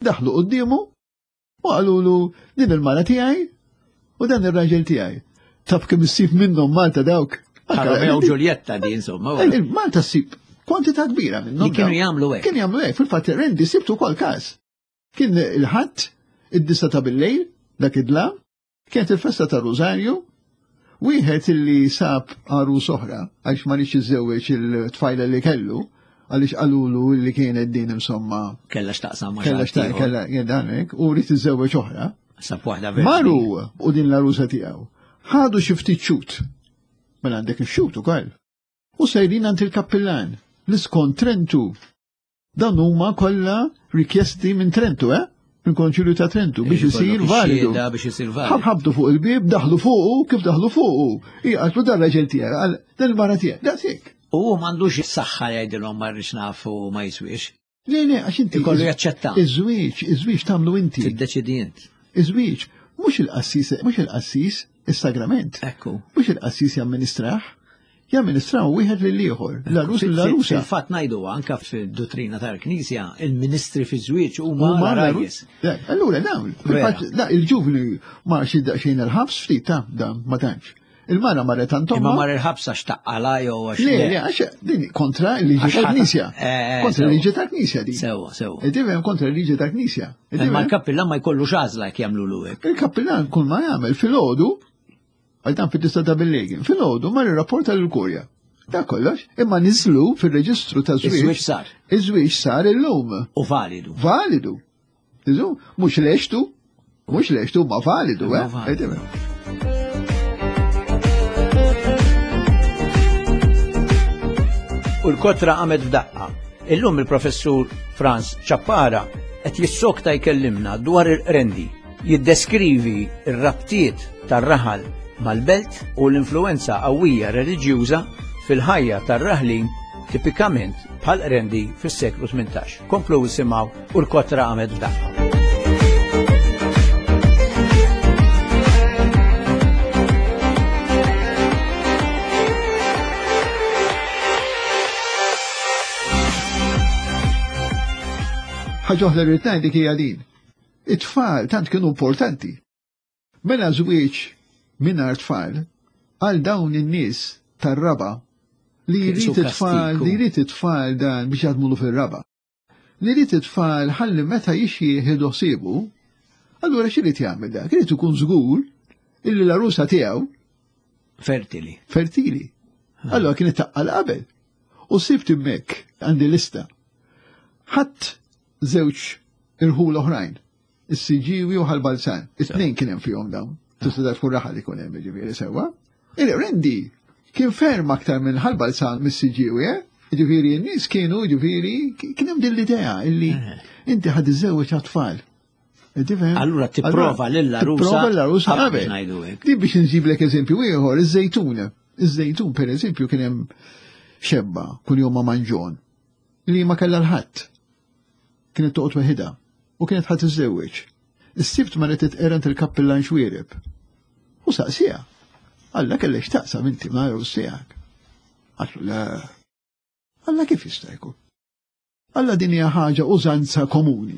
Daħlu quddiemu u qalulu din il-mara tiegħi u dan ir-raġel tiegħi. Taf kemm issib minnhom Malta dawk. Romeo u Giulietta di insomma. Malta ssib kwantità kbira minnhom. Li kienu dawk. jagħmlu hekk. Kienu jagħmlu hekk, fil-fatt Rendi sibtu wkoll każ. Kien il-Ħadd id-disa ta' bil-lejl, dak id-dlam, kienet il-festa ta' Rosario, wieħed illi sab għarus oħra, għax ma rridx iżewweġ il-tfajla li kellu, għaliex qalulu li kienet din insomma. Kella x'taqsam ma' Kella xi xtaq, ħadd ieħor. kella dan hekk, u rrid iżewweġ oħra. Sab waħda verġni. Maru u din l-għarusa tiegħu. Ħadu xi ftit xhud. Mela għandek ix-xhud ukoll. U sejrin għand il-kappillan li skont Trentu. Dan huma kollha rikjesti minn Trentu, eh? Minn Konċilju ta' Trentu biex Ikollok isir validu. ix-xhieda biex isir validu. Ħabtu fuq il-bib, daħlu fuqu, kif daħlu fuqu. Hija qaltlu dan raġel tiegħek, qal dan il-mara tiegħek, daqshekk. U hu m'għandux is-saħħa jgħidilhom ma rridx nafu ma jiswiex. Le, le, għax inti. Ikollu jaċċetta. Iż-żwieġ, iż-żwieġ tagħmlu inti. Tiddeċidi int. Iż-żwieġ, mhux il-qassis, mhux il-qassis, is-sagrament. Ekku. Mhux il-qassis jamministrah, jamministraw wieħed lil ieħor, l-għarus Fil- l-għarusa. Fil-fatt ngħidu anka fid-dottrina tal-Knisja, il-ministri fi żwieġ huma Huma l-għarajjes. l-għarus. Allura dawn, fil-fatt, da il-ġuvni ma xi daqsxejn il-ħabs ftit ta' da ma tantx. Il-mara marret Imma għand ommha. mar il-ħabs għax taqqala jew għax. Le, le, għax din kontra l-liġi Għax ħata- tal-Knisja. Eh, Kontra sewa. l-liġi tal-Knisja din. Sewa, sewa. Tifhem, kontra l-liġi tal-Knisja. Imma l-kappillan ma jkollux għażla jekk jagħmlu hekk. Il-kappillan kull ma jagħmel filgħodu, għal dan fit-tista ta' bil-lejl, filgħodu mar irrapporta lill-kurja. Da kollox, imma niżlu fil-reġistru ta' Iż-żwieġ żwieġ. sar. Iż-żwieġ sar illum. U validu. Validu. Iżu, mhux leċtu, mhux leċtu, ma validu, Ma eh? validu. U l-kotra qamet f'daqqa. Illum il-professur Frans Ciappara qed jissokta jkellimna dwar il-Qrendi, jiddeskrivi r-rabtiet tar-raħal mal-belt u l-influenza qawwija reliġjuża fil-ħajja tar-raħlin tipikament bħal Qrendi fis-seklu tmintax. Komplu isimgħu u l-kotra qamet f'daqqa. Ħaġa oħra li rrid ngħid hija din. It-tfal tant kienu importanti. Mela żwieġ mingħajr tfal għal dawn in-nies tar-raba li Kien jrid su it-tfal, kastiku. li jrid it-tfal dan biex jaħdmulu fir-raba. Li jrid it-tfal ħalli meta jixjieħ ħsibu, allura x'irid jagħmel dak? Irid ikun żgur illi l-għarusa tiegħu Fertili. fertili. Allora kienet taqqal qabel. U sibt hemmhekk għandi lista. Ħadd żewġ irħul oħrajn. Is-Siġġiewi u Ħal Balzan. It-tnejn kien hemm fihom dawn. Tista' taf kull raħal ikun hemm ġifieri sewwa. Il-Qrendi kien ferm aktar minn Ħal Balzan mis-Siġġiewi, eh? Ġifieri n-nies kienu ġifieri kien hemm din l-idea illi inti ħad iżżewweġ għat-tfal. Allura tipprova lill-għarusa. Tipprova l-għarusa qabel. Din biex nġiblek eżempju ieħor, iż-żejtun. Iż-żejtun pereżempju kien hemm xebba kuljum ma' manġon li ma kellha l-ħadd. Kienet toqgħod weħidha u kienet ħadd iżżewweġ. Is-sibt marret titqerant il-kappillan Xwiereb. U saqsija. Alla kellek x'taqsam inti ma' għarus tiegħek. Qallu le. Alla kif jista' jkun? Alla din hija ħaġa użanza komuni.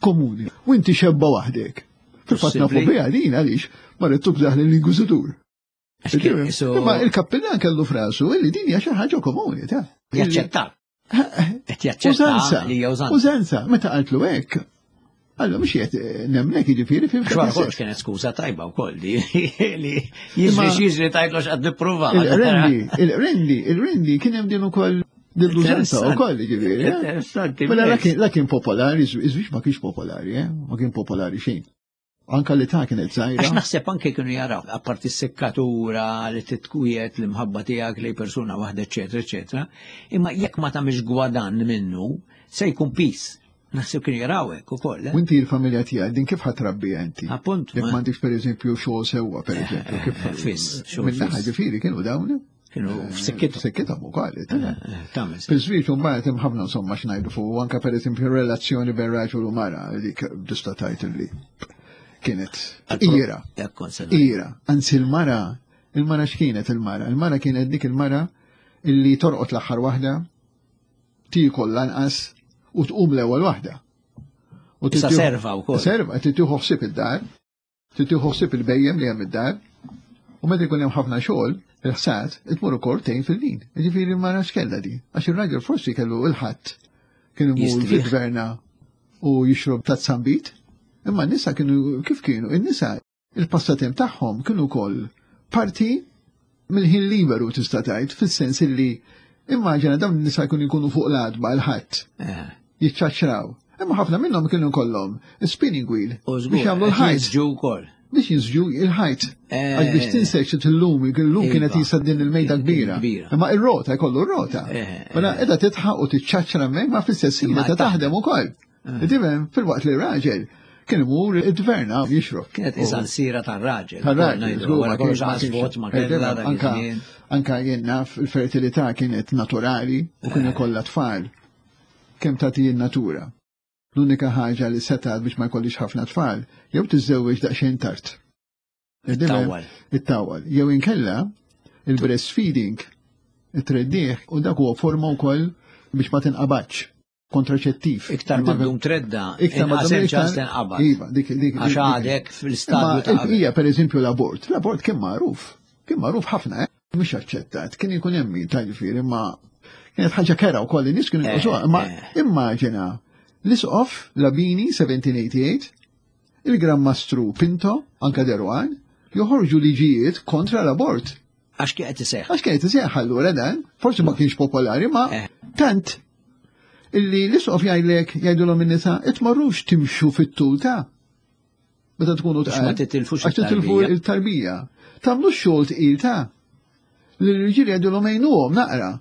Komuni. U inti xebba waħdek. Fil-fatt nafu biha din għaliex marret tubżaħ lill-Inkwiżitur. Imma il-kappillan kellu frasu illi din hija xi ħaġa komuni ta' Jaċċetta. Qed jaċċetta li hija użanza. Użanza, meta qaltlu hekk. Allora mhux qed nemlek jiġifieri fim. Xwara kollox kienet skuża tajba wkoll li li jiġri x'jiġri tgħidlu x'qed nipprova. Il-rendi, il-rendi, il-rendi kien hemm din ukoll din l-użanza wkoll jiġifieri. Interessanti. Mela la kien popolari, iż-żwieġ ma kienx popolari, eh? Ma kien popolari xejn. Anka li ta' kienet żgħira. Għax naħseb anke kienu jaraw, apparti s-sekkatura li titkujet l-imħabba tiegħek lej persuna waħda, eċetera, eċetera, imma jekk ma tagħmilx gwadann minnu, se jkun pis. Naħseb kienu jaraw hekk ukoll. U inti l-familja tiegħek din kif ħadd trabbija inti? Appunt. Jekk m'għandix pereżempju xogħol sewwa pereżempju, kif fiss, xogħol. Min-naħa ġifieri kienu dawn. Kienu f'sikkithom. F'sikkithom ukoll. Tagħmel. Fiż-żwieġ imbagħad hemm ħafna insomma x'ngħidu fuq, anke pereżempju relazzjoni bejn raġel u mara dik tista' tgħid li kienet ira. Ira. Anzi il-mara, il-mara x'kienet il-mara? Il-mara kienet dik il-mara illi torqod l-aħħar waħda, tiekol lanqas u tqum l-ewwel waħda. U tista' serva wkoll. Serva, titieħu ħsieb id-dar, titieħu ħsieb il-bejjem li hemm id-dar, u meta jkun hemm ħafna xogħol, il-ħsad, tmur ukoll tgħin fil-lin. Jiġifieri l-mara x'kellha di? Għax ir-raġel forsi kellu il-ħadd kien imur fil-gverna u jixrob tazzambit. Imma n-nisa kienu kif kienu? In-nisa il-passatemp tagħhom kienu wkoll parti mill-ħin liberu tista' tgħid, fis-sens illi immaġina dawn in-nisa jkunu jkunu fuq l-għadba l-ħadd. Jiċċaċċraw. Imma ħafna minnhom kienu kollhom spinning wheel biex jagħmlu l-ħajt. Jinsġu wkoll. Biex jinsġu il-ħajt. Għax biex tinsex illum, illum kienet jisa din il-mejda kbira. Imma ir-rota jkollu r-rota. Mela qiegħda titħaq u tiċċaċċra hemmhekk ma fl-istess ħin qed taħdem ukoll. Tifhem fil-waqt li r-raġel kien imur id-dverna jixrob. Kienet isa l-sira tar-raġel. Tar-raġel, wara kollox għasbot ma kellha dak iż-żmien. Anka jien naf il-fertilità kienet naturali u kienu kollha tfal. Kemm tagħti n-natura. L-unika ħaġa li setgħet biex ma jkollix ħafna tfal, jew tiżżewweġ daqsxejn tard. It-tawwal. It-tawwal. Jew inkella il-breastfeeding, it-treddieħ, u dak huwa forma wkoll biex ma tinqabadx. Kontraċettiv. Iktar ma ddum tredda, iktar ma ddum ċans tinqabad. Iva, dik dik. Għax għadek fl-istadju ta' qabel. Hija pereżempju l-abort. L-abort kien magħruf. Kien magħruf ħafna, eh? Mhux aċċettat. Kien ikun hemm min tal-ġifieri, imma kienet ħaġa kera wkoll in-nies kienu jqisuha. Imma immaġina l-Isqof Labini seventeen eighty-eight, il-Gran Mastru Pinto, anka Deruan, joħorġu liġijiet kontra l-abort. Għax kienet iseħħ. Għax kienet iseħħ allura dan, forsi ma kienx popolari, ma tant illi l-isqof jgħidlek jgħidulhom in-nisa itmorrux timxu fit-tul ta' meta tkunu tqal. Ma titilfux għax titilfu il-tarbija. Tagħmlu xogħol tqil ta' li l-irġiel jgħidulhom għinuhom naqra.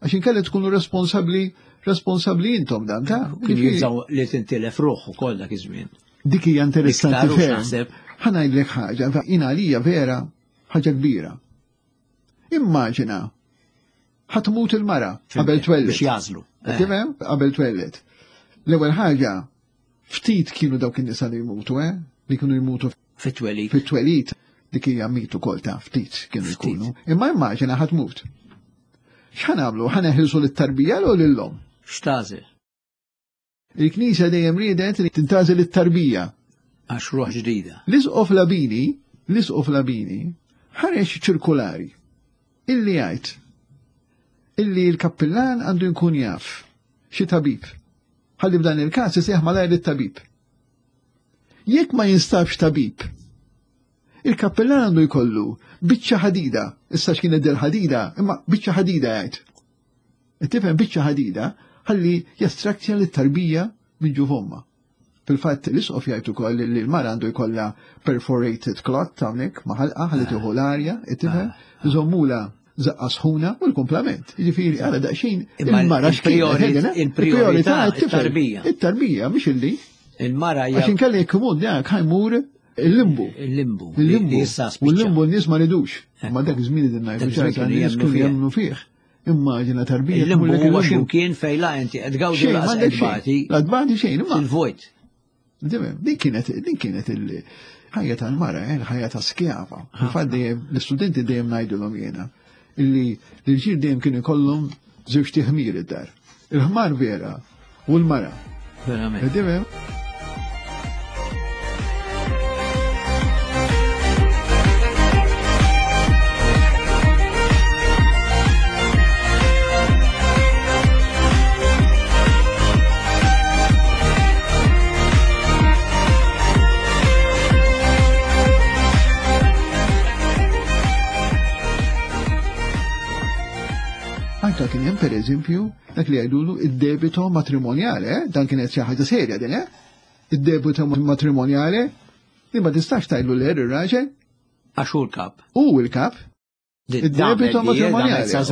Għax inkella tkunu responsabbli responsabbli intom dan ta' Kien jibżgħu li tintilef ruħ ukoll dak iż-żmien. Dik hija interessanti ferm. Ħa ngħidlek ħaġa, jien għalija vera ħaġa kbira. Immaġina ħatmut il-mara qabel twelled. Biex jażlu. Tifhem? Qabel twelled. L-ewwel ħaġa ftit kienu dawk in-nisa li jmutu, eh? Li kienu jmutu fit-twelid. Fit-twelid dik hija mitu wkoll ta' ftit kienu jkunu. Imma immaġina ħatmut. X'ħa nagħmlu? Ħa neħilsu lit-tarbija jew lil-omm? X'tażel? Il-Knisja dejjem riedet li tintażel it-tarbija. Għax ruħ ġdida. L-Isqof Labini, l-Isqof Labini ħareġ ċirkulari illi jgħid illi l-kappillan għandu jkun jaf xi tabib. Ħalli f'dan il-każ iseħħ malajr it-tabib. Jekk ma jinstabx tabib, il-kappillan għandu jkollu biċċa ħadida, issa x'kienet del ħadida, imma biċċa ħadida jgħid. Tifhem biċċa ħadida ħalli jastraktja lit-tarbija minn ġuf ommha. Fil-fatt l-isqof jgħid ukoll li l-mara għandu jkollha perforated clot hawnhekk ma' ħalqa ħalli tieħu l-arja, tifhem, iżommula żaqqa sħuna u l-kumplament. Jiġifieri ara daqsxejn il-mara x'kienet. Il-prijorità it-tarbija. It-tarbija mhix illi. Il-mara hija. Għax inkella jekk imur dak ħajmur il-limbu. Il-limbu. Il-limbu. U l-limbu n-nies ma ridux. Ma dak iż-żmien din ngħidu ċerta nies kienu jemmnu fih. Immaġina tarbija. Il-limbu huwa x'imkien fejn la inti qed tgawdi laqas qed tbati. La tbati xejn imma. Il-vojt. Din kienet din kienet il-ħajja tal-mara, il-ħajja ta' skjava. Fil-fatt dejjem l-istudenti dejjem ngħidulhom jiena illi l-irġiel dejjem kienu jkollhom żewġ tiħmir id-dar. Il-ħmar vera u l-mara. Verament. Anka kien hemm pereżempju dak li jgħidulu id-debito matrimonjale, eh? Dan kienet xi ħaġa serja din, eh? Id-debito matrimonjale li ma tistax tgħidlu le ir-raġel. Għax hu l-kap. Hu l-kap. Id-debito matrimonjale. Sa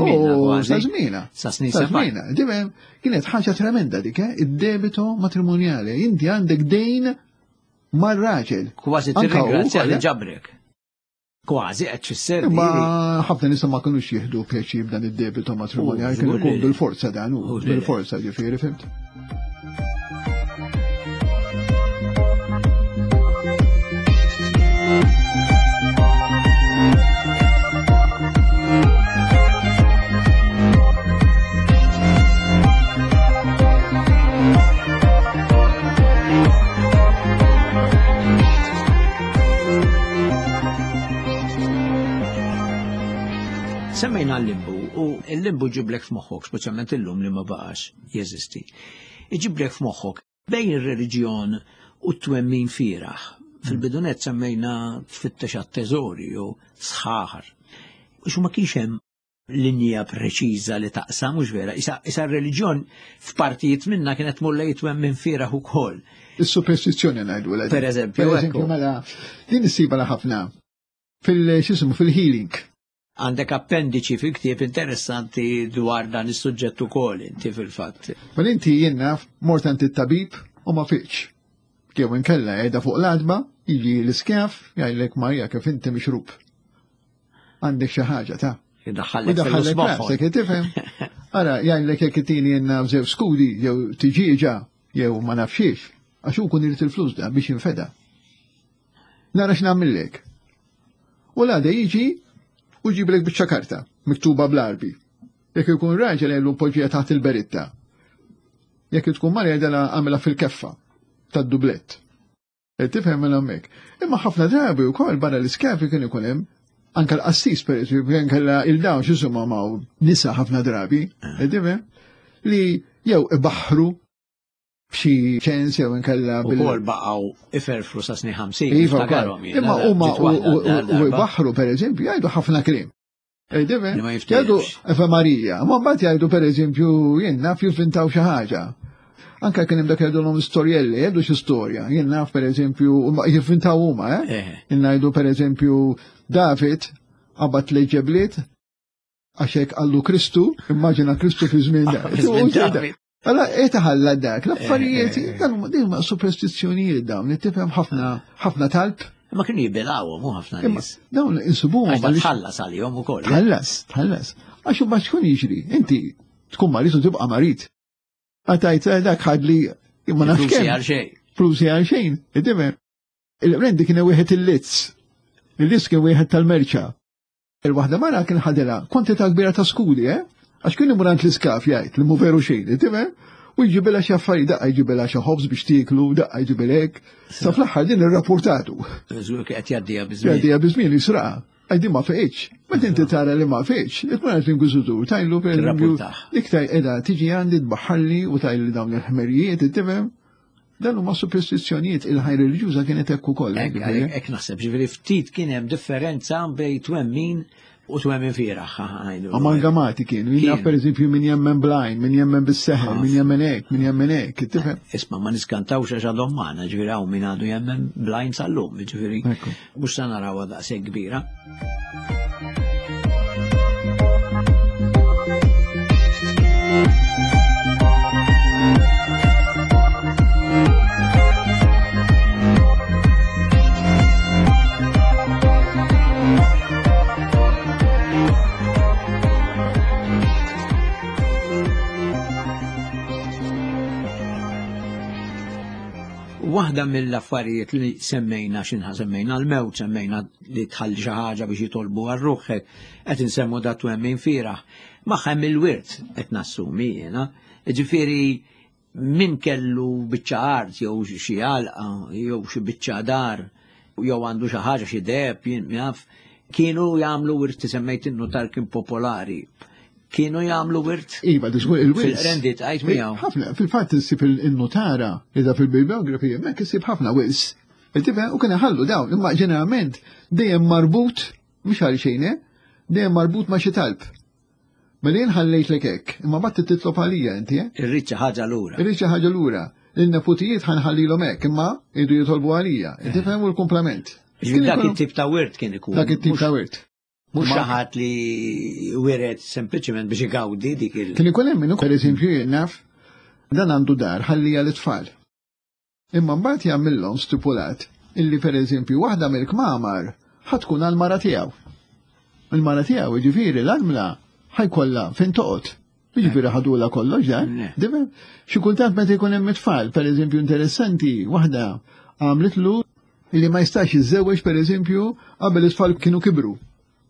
żmiena. Sa żmiena. Dibem, kienet ħaġa tremenda dik, eh? Id-debito matrimonjale. Inti għandek dejn mar-raġel. Kważi tirringrazzja li ġabrek. Kważi qed tfisser. Ma ħafna nisa ma kinux jieħdu pjaċir b'dan id-debito matrimonjali, kienu jkun bil-forza dan u bil-forza ġifieri, fimt. Semmejna l-limbu, u l-limbu ġiblek f'moħħok, speċjalment illum li ma baqax jeżisti. Iġiblek f'moħħok bejn ir-reliġjon u t-twemmin fieraħ. Fil-bidunet semmejna tfittex għat-teżori u sħaħar. Xu ma kienx hemm linja preċiża li taqsam, mhux vera. Issa r-reliġjon f'partijiet minna kienet mulla jitwemmin fieraħ ukoll. Is-superstizzjoni ngħidu. Per eżempju, per eżempju, mela din issiba ħafna fil-x'ismu fil-healing. Għandek appendiċi fil-ktieb interessanti dwar dan is-suġġett ukoll inti fil-fatt. Mal inti jien naf mort għand it-tabib u ma fiqx. Jew inkella qiegħda fuq l-għadba, jiġi l-iskjaf jgħidlek Marija kif inti mixrub. Għandek xi ħaġa ta' Idaħħallek fil-moħħok, tifhem? Ara jgħidlek jekk itini jien naf żew skudi jew tiġieġa jew ma nafxiex, għax hu kun irid il-flus da biex jinfeda. Nara x'nagħmillek. U l-għada jiġi u ġiblek biċċa karta, miktuba bl-Arbi. Jekk ikun raġel jgħidlu poġġija taħt il-beritta. Jekk tkun mara jgħidilha għamilha fil-keffa tad-dublett. Tifhem minn hemmhekk. Imma ħafna drabi wkoll barra l-iskafi kien ikun hemm anke l-qassis pereżempju kien kellha il-dawn x'isuma ma' nisa ħafna drabi, tifhem, li jew ibaħħru b'xi ċens jew inkella bil ukoll baqgħu iferfru sa snin ħamsin. Imma huma u jbaħħru pereżempju jgħidu ħafna kliem. Jgħidu Eva Marija, ma mbagħad jgħidu pereżempju jien naf jivvintaw xi ħaġa. Anke kien hemm dak jgħidulhom storjelli, jgħidu xi storja. Jien naf pereżempju jivvintaw huma, eh? Jien ngħidu pereżempju David qabad tliet ġebliet għax hekk qallu Kristu, immaġina Kristu fi żmien David. Allora, etaħalla dak, l-affarijiet, dan huma superstizzjonijiet dawn, tifhem ħafna ħafna talb. Ma kienu jibilgħuhom u ħafna nies. Dawn insibuhom. Għax tħallas għalihom ukoll. Tħallas, tħallas. Għax imbagħad x'kun jiġri? Inti tkun marid u tibqa' marid. Għatajt dak ħadli ma nafx kemm. Flusi għal xejn. Flusi għal xejn, tifhem. Il-rendi kien wieħed il-lizz. Il-lizz kien wieħed tal-merċa. Il-waħda mara kien ħadilha kwantità kbira ta' skudi, eh? Għax kien imur għand l-iskaf jgħid li mhu veru xejn, tifhem? U jġibilha xi affarijiet, daqqa jġibilha xi ħobż biex tieklu, daqqa jġibilek. Sa fl-aħħar din irrapportatu. Żgur qed jgħaddiha biżmien. Jgħaddiha biżmien jisraqa. Għajdi ma feqitx. Meta inti tara li ma feqitx, ikun għand l-inkwiżitur tajlu pereżempju iktar qiegħda tiġi għandi tbaħħalli u tajli dawn il-ħmerijiet, tifhem? Dan huma superstizzjonijiet il-ħajja reliġjuża kienet hekk ukoll. Hekk naħseb, ġifieri ftit kien hemm differenza bejn twemmin u twemmin fieragħ. Amalgamati kienu, jien naf pereżempju min jemmen blajn, min jemmen bis-seħer, min jemmen hekk, min jemmen hekk, tifhem? Isma' ma niskantawx għax għadhom magħna, ġifieri hawn min għadu jemmen blajn sal-lum, ġifieri mhux se narawha daqshekk kbira. Waħda mill-affarijiet li semmejna x'inħa semmejna l-mewt, semmejna li tħalli xi ħaġa biex jitolbu għal ruħek, qed insemmu da twemmin fieragħ. Magħha hemm il-wirt qed nassumi jiena. Ġifieri min kellu biċċa art jew xi għalqa jew xi biċċa dar jew għandu xi ħaġa xi deheb jien jaf, kienu jagħmlu wirt, semmejt in-nutar kien popolari. Kienu jagħmlu wirt? Iva, diżgur il-wirt. Fil-rendi tqajt miegħu. Ħafna, fil-fatt issib il-notara, iżda fil-bibliografija hemmhekk issib ħafna wils. Tifhem, u kien iħallu dawn, imma ġeneralment dejjem marbut, mhux għal xejn, dejjem marbut ma' xi talb. Mela jien ħallejtlek hekk, imma mbagħad titlob għalija inti, eh? Irrid xi ħaġa lura. Irrid xi ħaġa lura. Il-neputijiet ħanħallilhom hekk, imma jridu jitolbu għalija. Tifhem u l-kumplament. Dak it-tip ta' wirt kien ikun. Dak it-tip ta' wirt. Mhux xi ħadd li wiret sempliċement biex igawdi dik il. Kien ikun hemm minnu, pereżempju jien naf, dan għandu dar ħallija l-itfal. Imma mbagħad jagħmilhom stipulat illi pereżempju waħda mill-kmamar ħa tkun għall-mara tiegħu. Il-mara tiegħu jiġifieri l-armla ħajkollha fejn toqgħod. Jiġifieri ħadulha kollox dan. Difhem? Xi kultant meta jkun hemm it-tfal, pereżempju interessanti, waħda għamlitlu illi ma jistax jiżżewweġ pereżempju qabel it-tfal kienu kibru.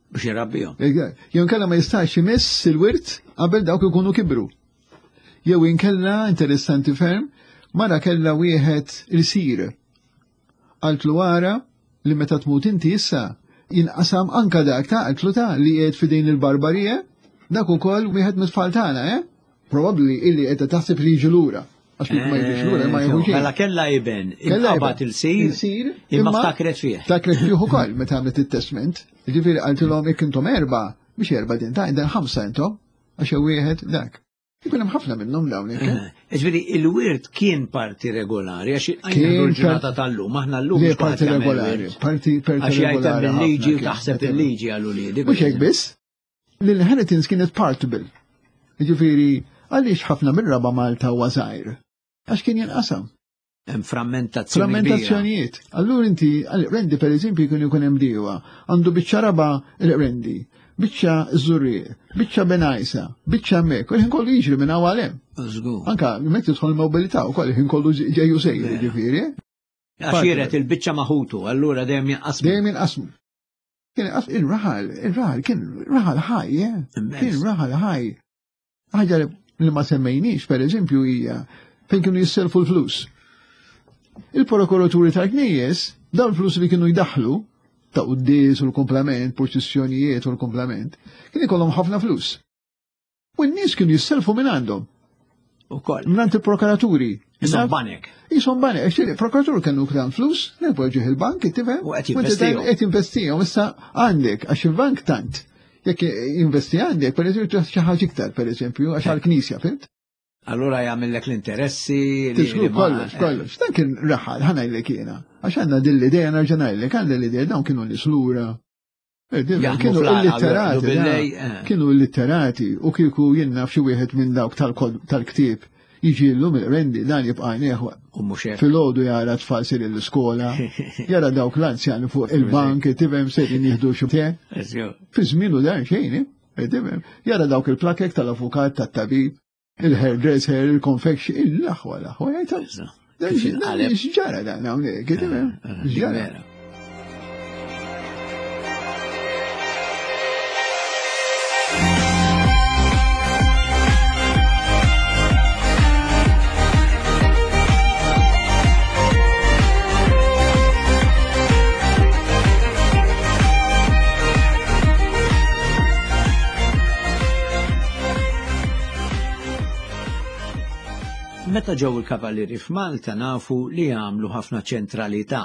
Biex jrabbihom. Jew inkella ma jistax imiss il-wirt qabel dawk ikunu kibru. Jew inkella interessanti ferm, mara kellha wieħed il-sir. Qaltlu ara li meta tmut inti issa jinqasam anka dak ta' qaltlu ta' li qiegħed f'idejn il-barbarija, dak ukoll wieħed mit-tfal tagħna, eh? Probabbli illi qiegħda taħseb li jiġu lura. Għax kif ma jiġux lura ma jieħu xejn. Mela kellha iben, inqabad il-sir, imma ftakret fih. Ftakret fih ukoll meta għamlet it-testament. Ġifieri qaltilhom jekk intom erba', biex erba' din ta' dan ħamsa intom, għax wieħed dak. Ikun hemm ħafna minnhom dawn hekk. Ġifieri il-wirt kien parti regolari għax il-ġurnata tal-lum, aħna llum mhux parti regolari, parti parti regolari. Għax jgħid il-liġi u taħseb il-liġi għal uliedi. Mhux hekk biss. L-inheritance kienet partable. Ġifieri għaliex ħafna mir-raba' Malta huwa żgħir? Għax kien jinqasam. Hemm frammentazzjoni. Frammentazzjonijiet. Allura inti, rendi per eżempju jkun ikun hemm diewa, għandu biċċa raba' il-rendi, biċċa żurrieq, biċċa benajsa, biċċa hemmhekk, u l-ħin kollu jiġri minn hawn għal hemm. Żgur. Anka meta tidħol il-mobilità wkoll il-ħin kollu ġejju sejjer, jiġifieri. Għax jiret il-biċċa maħutu, allura dejjem jinqasmu. Dejjem jinqasmu. Kien il-raħal, il-raħal kien raħal ħaj, kien raħal ħaj. Ħaġa li ma semmejniex, per eżempju, hija fejn kienu jisselfu l-flus. Il-prokuraturi tal-knejjes, dawn il-flus li kienu jdaħlu, ta' quddies u l-komplament, proċessjonijiet u l-komplament, kien ikollhom ħafna flus. U n-nies kienu jisselfu minn għandhom. Ukoll. Minn il-prokuraturi. Isom banek. Isom banek. Il-prokuratur kienu ktan flus, nerpoġġih il-bank, tifhem? U qed jinvestihom. Qed jinvestihom, issa għandek, għax il-bank tant. Jekk investi għandek, per eżempju, xi ħaġa iktar, per eżempju, għax għall-knisja, fimt? Allura jagħmellek l-interessi. Tislu kollox, kollox. Dan kien raħal, ħa ngħidlek jiena. Għax għandna din l-idea nerġa' ngħidlek, għandna l-idea dawn kienu nies lura. Kienu illitterati, kienu illitterati u kieku jien naf xi wieħed minn dawk tal-ktieb jiġi llum il-rendi dan jibqa' jneħwa. Filgħodu jara tfal sir l-iskola, jara dawk l-anzjani fuq il-bank, tifhem sejrin jieħdu xi te. Fi żmienu dan xejn, tifhem. Jara dawk il-plakek tal-avukat, tat-tabib, il-hairdresser, il-confection, il-aħwa, l-aħwa, x'ġara dan hawnhekk, tifhem? X'ġara. Meta ġew il-Kavallieri f'Malta nafu li għamlu ħafna ċentralità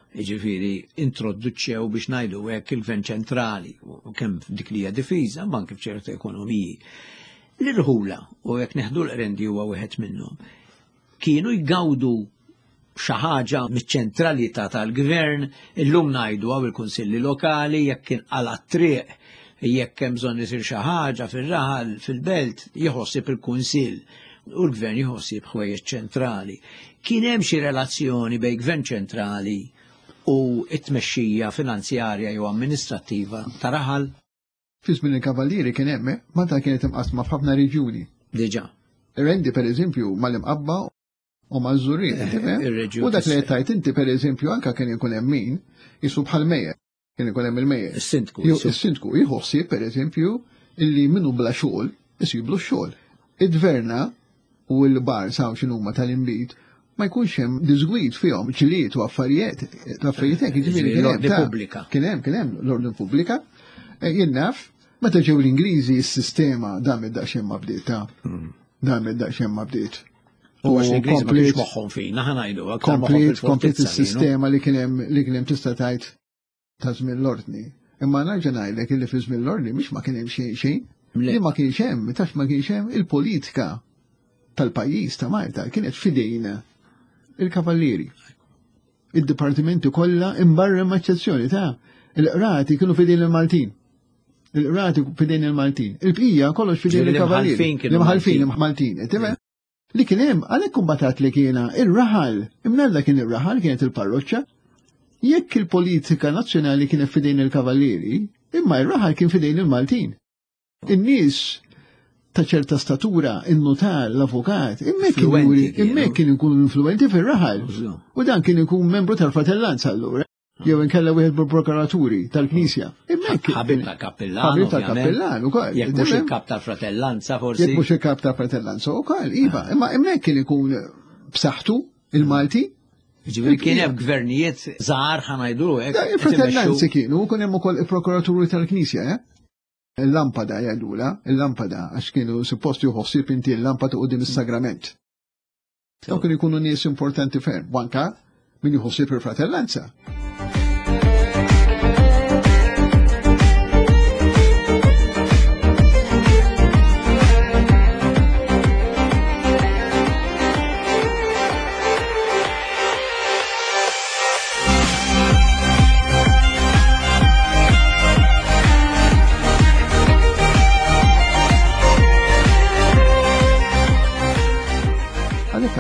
Jiġifieri introduċew biex ngħidu hekk il-gvern ċentrali, u kemm dik li hija difiża, ma anke f'ċertu ekonomiji. L-irħula, u jekk neħdu l-Qrendi huwa wieħed minnhom, kienu jgawdu xi ħaġa miċ-ċentralità tal-gvern, illum ngħidu hawn il-kunsilli lokali, jekk kien qala triq, jekk hemm bżonn isir xi ħaġa fir-raħal, fil-belt, jħossib il-kunsill u l-gvern jħossib ħwejjeġ ċentrali. Kien hemm xi relazzjoni bejn gvern ċentrali u t-tmexxija finanzjarja jew amministrattiva ta' raħal? Fi żmien il-Kavallieri kien hemm, Malta kienet imqasma f'ħafna reġjuni. Diġà. Rendi pereżempju mal-Imqabba u maż-Żurrieq, tifhem? U dak li qed tgħid inti pereżempju anke kien ikun hemm min jisu bħal mejjer, kien ikun hemm il-mejjer. Is-sindku. Is-sindku jieħu ħsieb pereżempju illi minnu bla xogħol isiblu x-xogħol. Id-dverna u l-bar saw x'inhuma tal-inbid ma jkunx hemm disgwid fihom ġlied u affarijiet, affarijiet hekk, jiġifieri kien hemm pubblika. Kien hemm, kien hemm l-ordni pubblika. Jien naf, meta ġew l-Ingliżi s-sistema dam id-daqsxejn ma bdiet ta' dam id-daqsxejn ma bdiet. U għax l-Ingliżi ma kienx moħħhom fina, ħa ngħidu, komplet komplet is-sistema li kien hemm li kien hemm tista' tgħid ta' żmien l-ordni. Imma nerġa' ngħidlek illi fi żmien l-ordni mhix ma kien hemm xejn xejn. Li ma kienx hemm, tax ma kienx hemm il-politika tal-pajjiż ta' Malta kienet fidejna il-kavallieri. Id-dipartimenti kollha imbarra ma' eċċezzjoni ta' il-qrati kienu fidejn il-Maltin. Il-qrati fidejn il-Maltin. Il-bqija kollox fidejn il-kavallieri. L-imħalfin Maltin. Li kien hemm għalhekk kumbatat li kiena ir-raħal, imnalla kien ir-raħal kienet il-parroċċa. Jekk il-politika nazzjonali kienet fidejn il-kavallieri, imma ir-raħal kien fidejn il-Maltin. In-nies ta' ċerta statura, in-notar, l-avukat, imma kien ikun influenti fir-raħal. U dan kien ikun membru tal-fratellanza allura. Jew inkella wieħed mill-prokuraturi tal-Knisja. Ħabib tal-kappellan. Ħabib tal-kappellan ukoll. Jekk mhux il-kap tal-fratellanza forsi. Jekk mhux il-kap tal-fratellanza ukoll, iva. Imma hemmhekk kien ikun b'saħħtu il-Malti. Ġifieri kien hemm gvernijiet żgħar ħa ngħidu hekk. Il-fratellanzi kienu, kien hemm ukoll il-prokuraturi tal-Knisja, eh? Il-lampada jgħidula, il-lampada, għax kienu suppost juħossib inti il-lampada quddiem is-sagrament. Dawn kienu jkunu nies importanti ferm, u anka min juħossib il-fratellanza.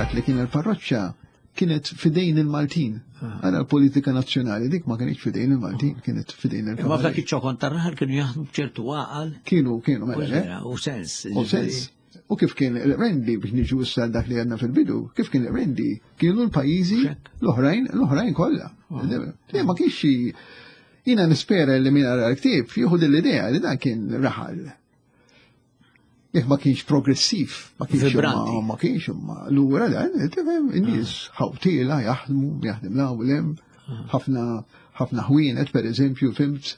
Li kien il-parroċċa kienet fidejn il-Maltin. Għara l-politika nazzjonali dik ma kienx fidejn il-Maltin, kienet fidejn il-Maltin. Ma f'dak iċ-ċokon tar-raħal kienu jaħdmu b'ċertu għaqal. Kienu, kienu, mela. U sens. U sens. U kif kien il-Rendi, biex niġu issa dak li għandna fil-bidu, kif kien il-Rendi, kienu l-pajjiżi l-oħrajn, l-oħrajn kollha. Le ma kienx xi jiena nispera li min għara l-ktieb jieħu din l-idea li dan kien raħal. Jekk ma kienx progressiv, ma kienx ma kienx imma lura dan, tifhem, in-nies ħawtiela jaħdmu, jaħdem law lem, ħafna ħafna ħwienet pereżempju, fimt,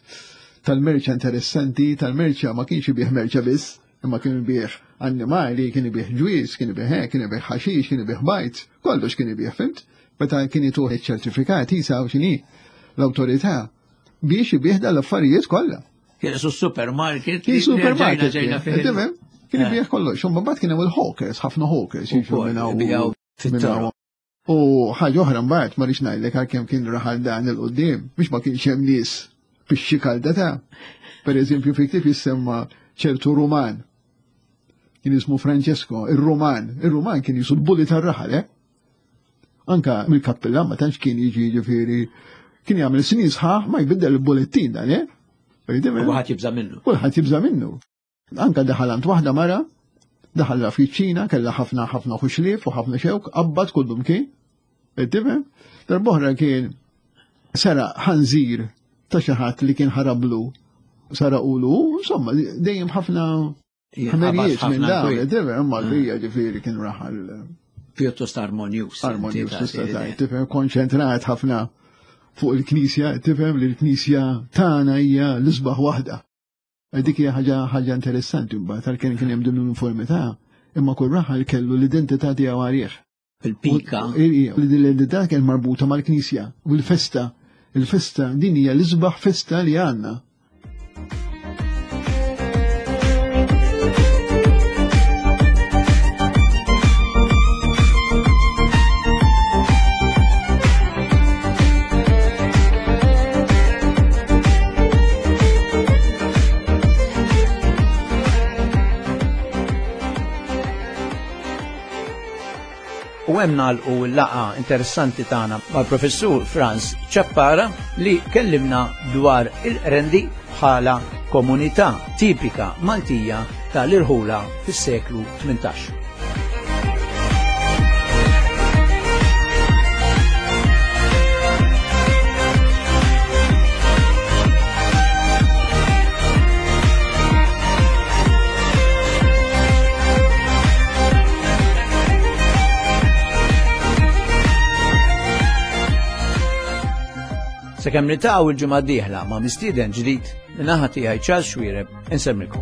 tal-merċa interessanti, tal-merċa ma kienx ibih merċa biss, imma kien ibih annimali, kien ibih ġwiż, kien ibih hekk, kien ibih ħaxix, kien ibih bajt, kollox kien ibih, fimt? Meta kien ituh iċ-ċertifikat jisaw x'inhi l-awtorità biex ibih dal-affarijiet kollha. Kien su supermarket. Kien supermarket. Kien ibih kollox, u mbagħad kien hemm il-hawkers, ħafna hawkers jiġu minn hawn. U ħaġa oħra mbagħad ma rridx ngħidlek għalkemm kien raħal dan il quddiem, biex ma kienx hemm nies biex kalda ta'. Pereżempju fi ktieb jissemma ċertu Ruman. Kien ismu Francesco, ir-Ruman. Ir-Ruman kien jisu l-bulli tar-raħal, eh? Anka mill-kappellan ma tantx kien jiġi jiġifieri kien jagħmel snin sħaħ ma jbiddel il-bullettin dan, eh? Kulħadd jibża' minnu. Kulħadd jibża' minnu. Anka daħal għand waħda mara, daħalha fiċ-Ċina, kellha ħafna ħafna ħuxlief u ħafna xewk, qabbad kullum kien. Tifhem? Darb'oħra kien sara ħanżir ta' xi ħadd li kien ħarablu, saraqulu, insomma, dejjem ħafna ħmerijiet minn dawn, tifhem, imma l-bija ġifieri kien raħal pjuttost armonjuż. Armonjuż tista' tgħid, tifhem, konċentrat ħafna fuq il-Knisja, tifhem li l-Knisja tagħna hija l-isbaħ waħda. Dik hija ħaġa ħaġa interessanti mbagħad għalkemm kien hemm din l-uniformità, imma kull raħal kellu l-identità tiegħu għalih. Il-pika. L-identità kien marbuta mal-Knisja u l-festa. Il-festa din hija l-isbaħ festa li għandna. U hemm nagħlqu l-laqgħa interessanti tagħna mal-Professur Franz Ciappara li kellimna dwar il-Qrendi bħala komunità tipika Maltija tal-irħula fis-seklu tmintax. Sakemm niltaqgħu il-ġimgħa d-dieħla ma' mistieden ġdid, min-naħa tiegħi Charles Xuereb insemmilkom.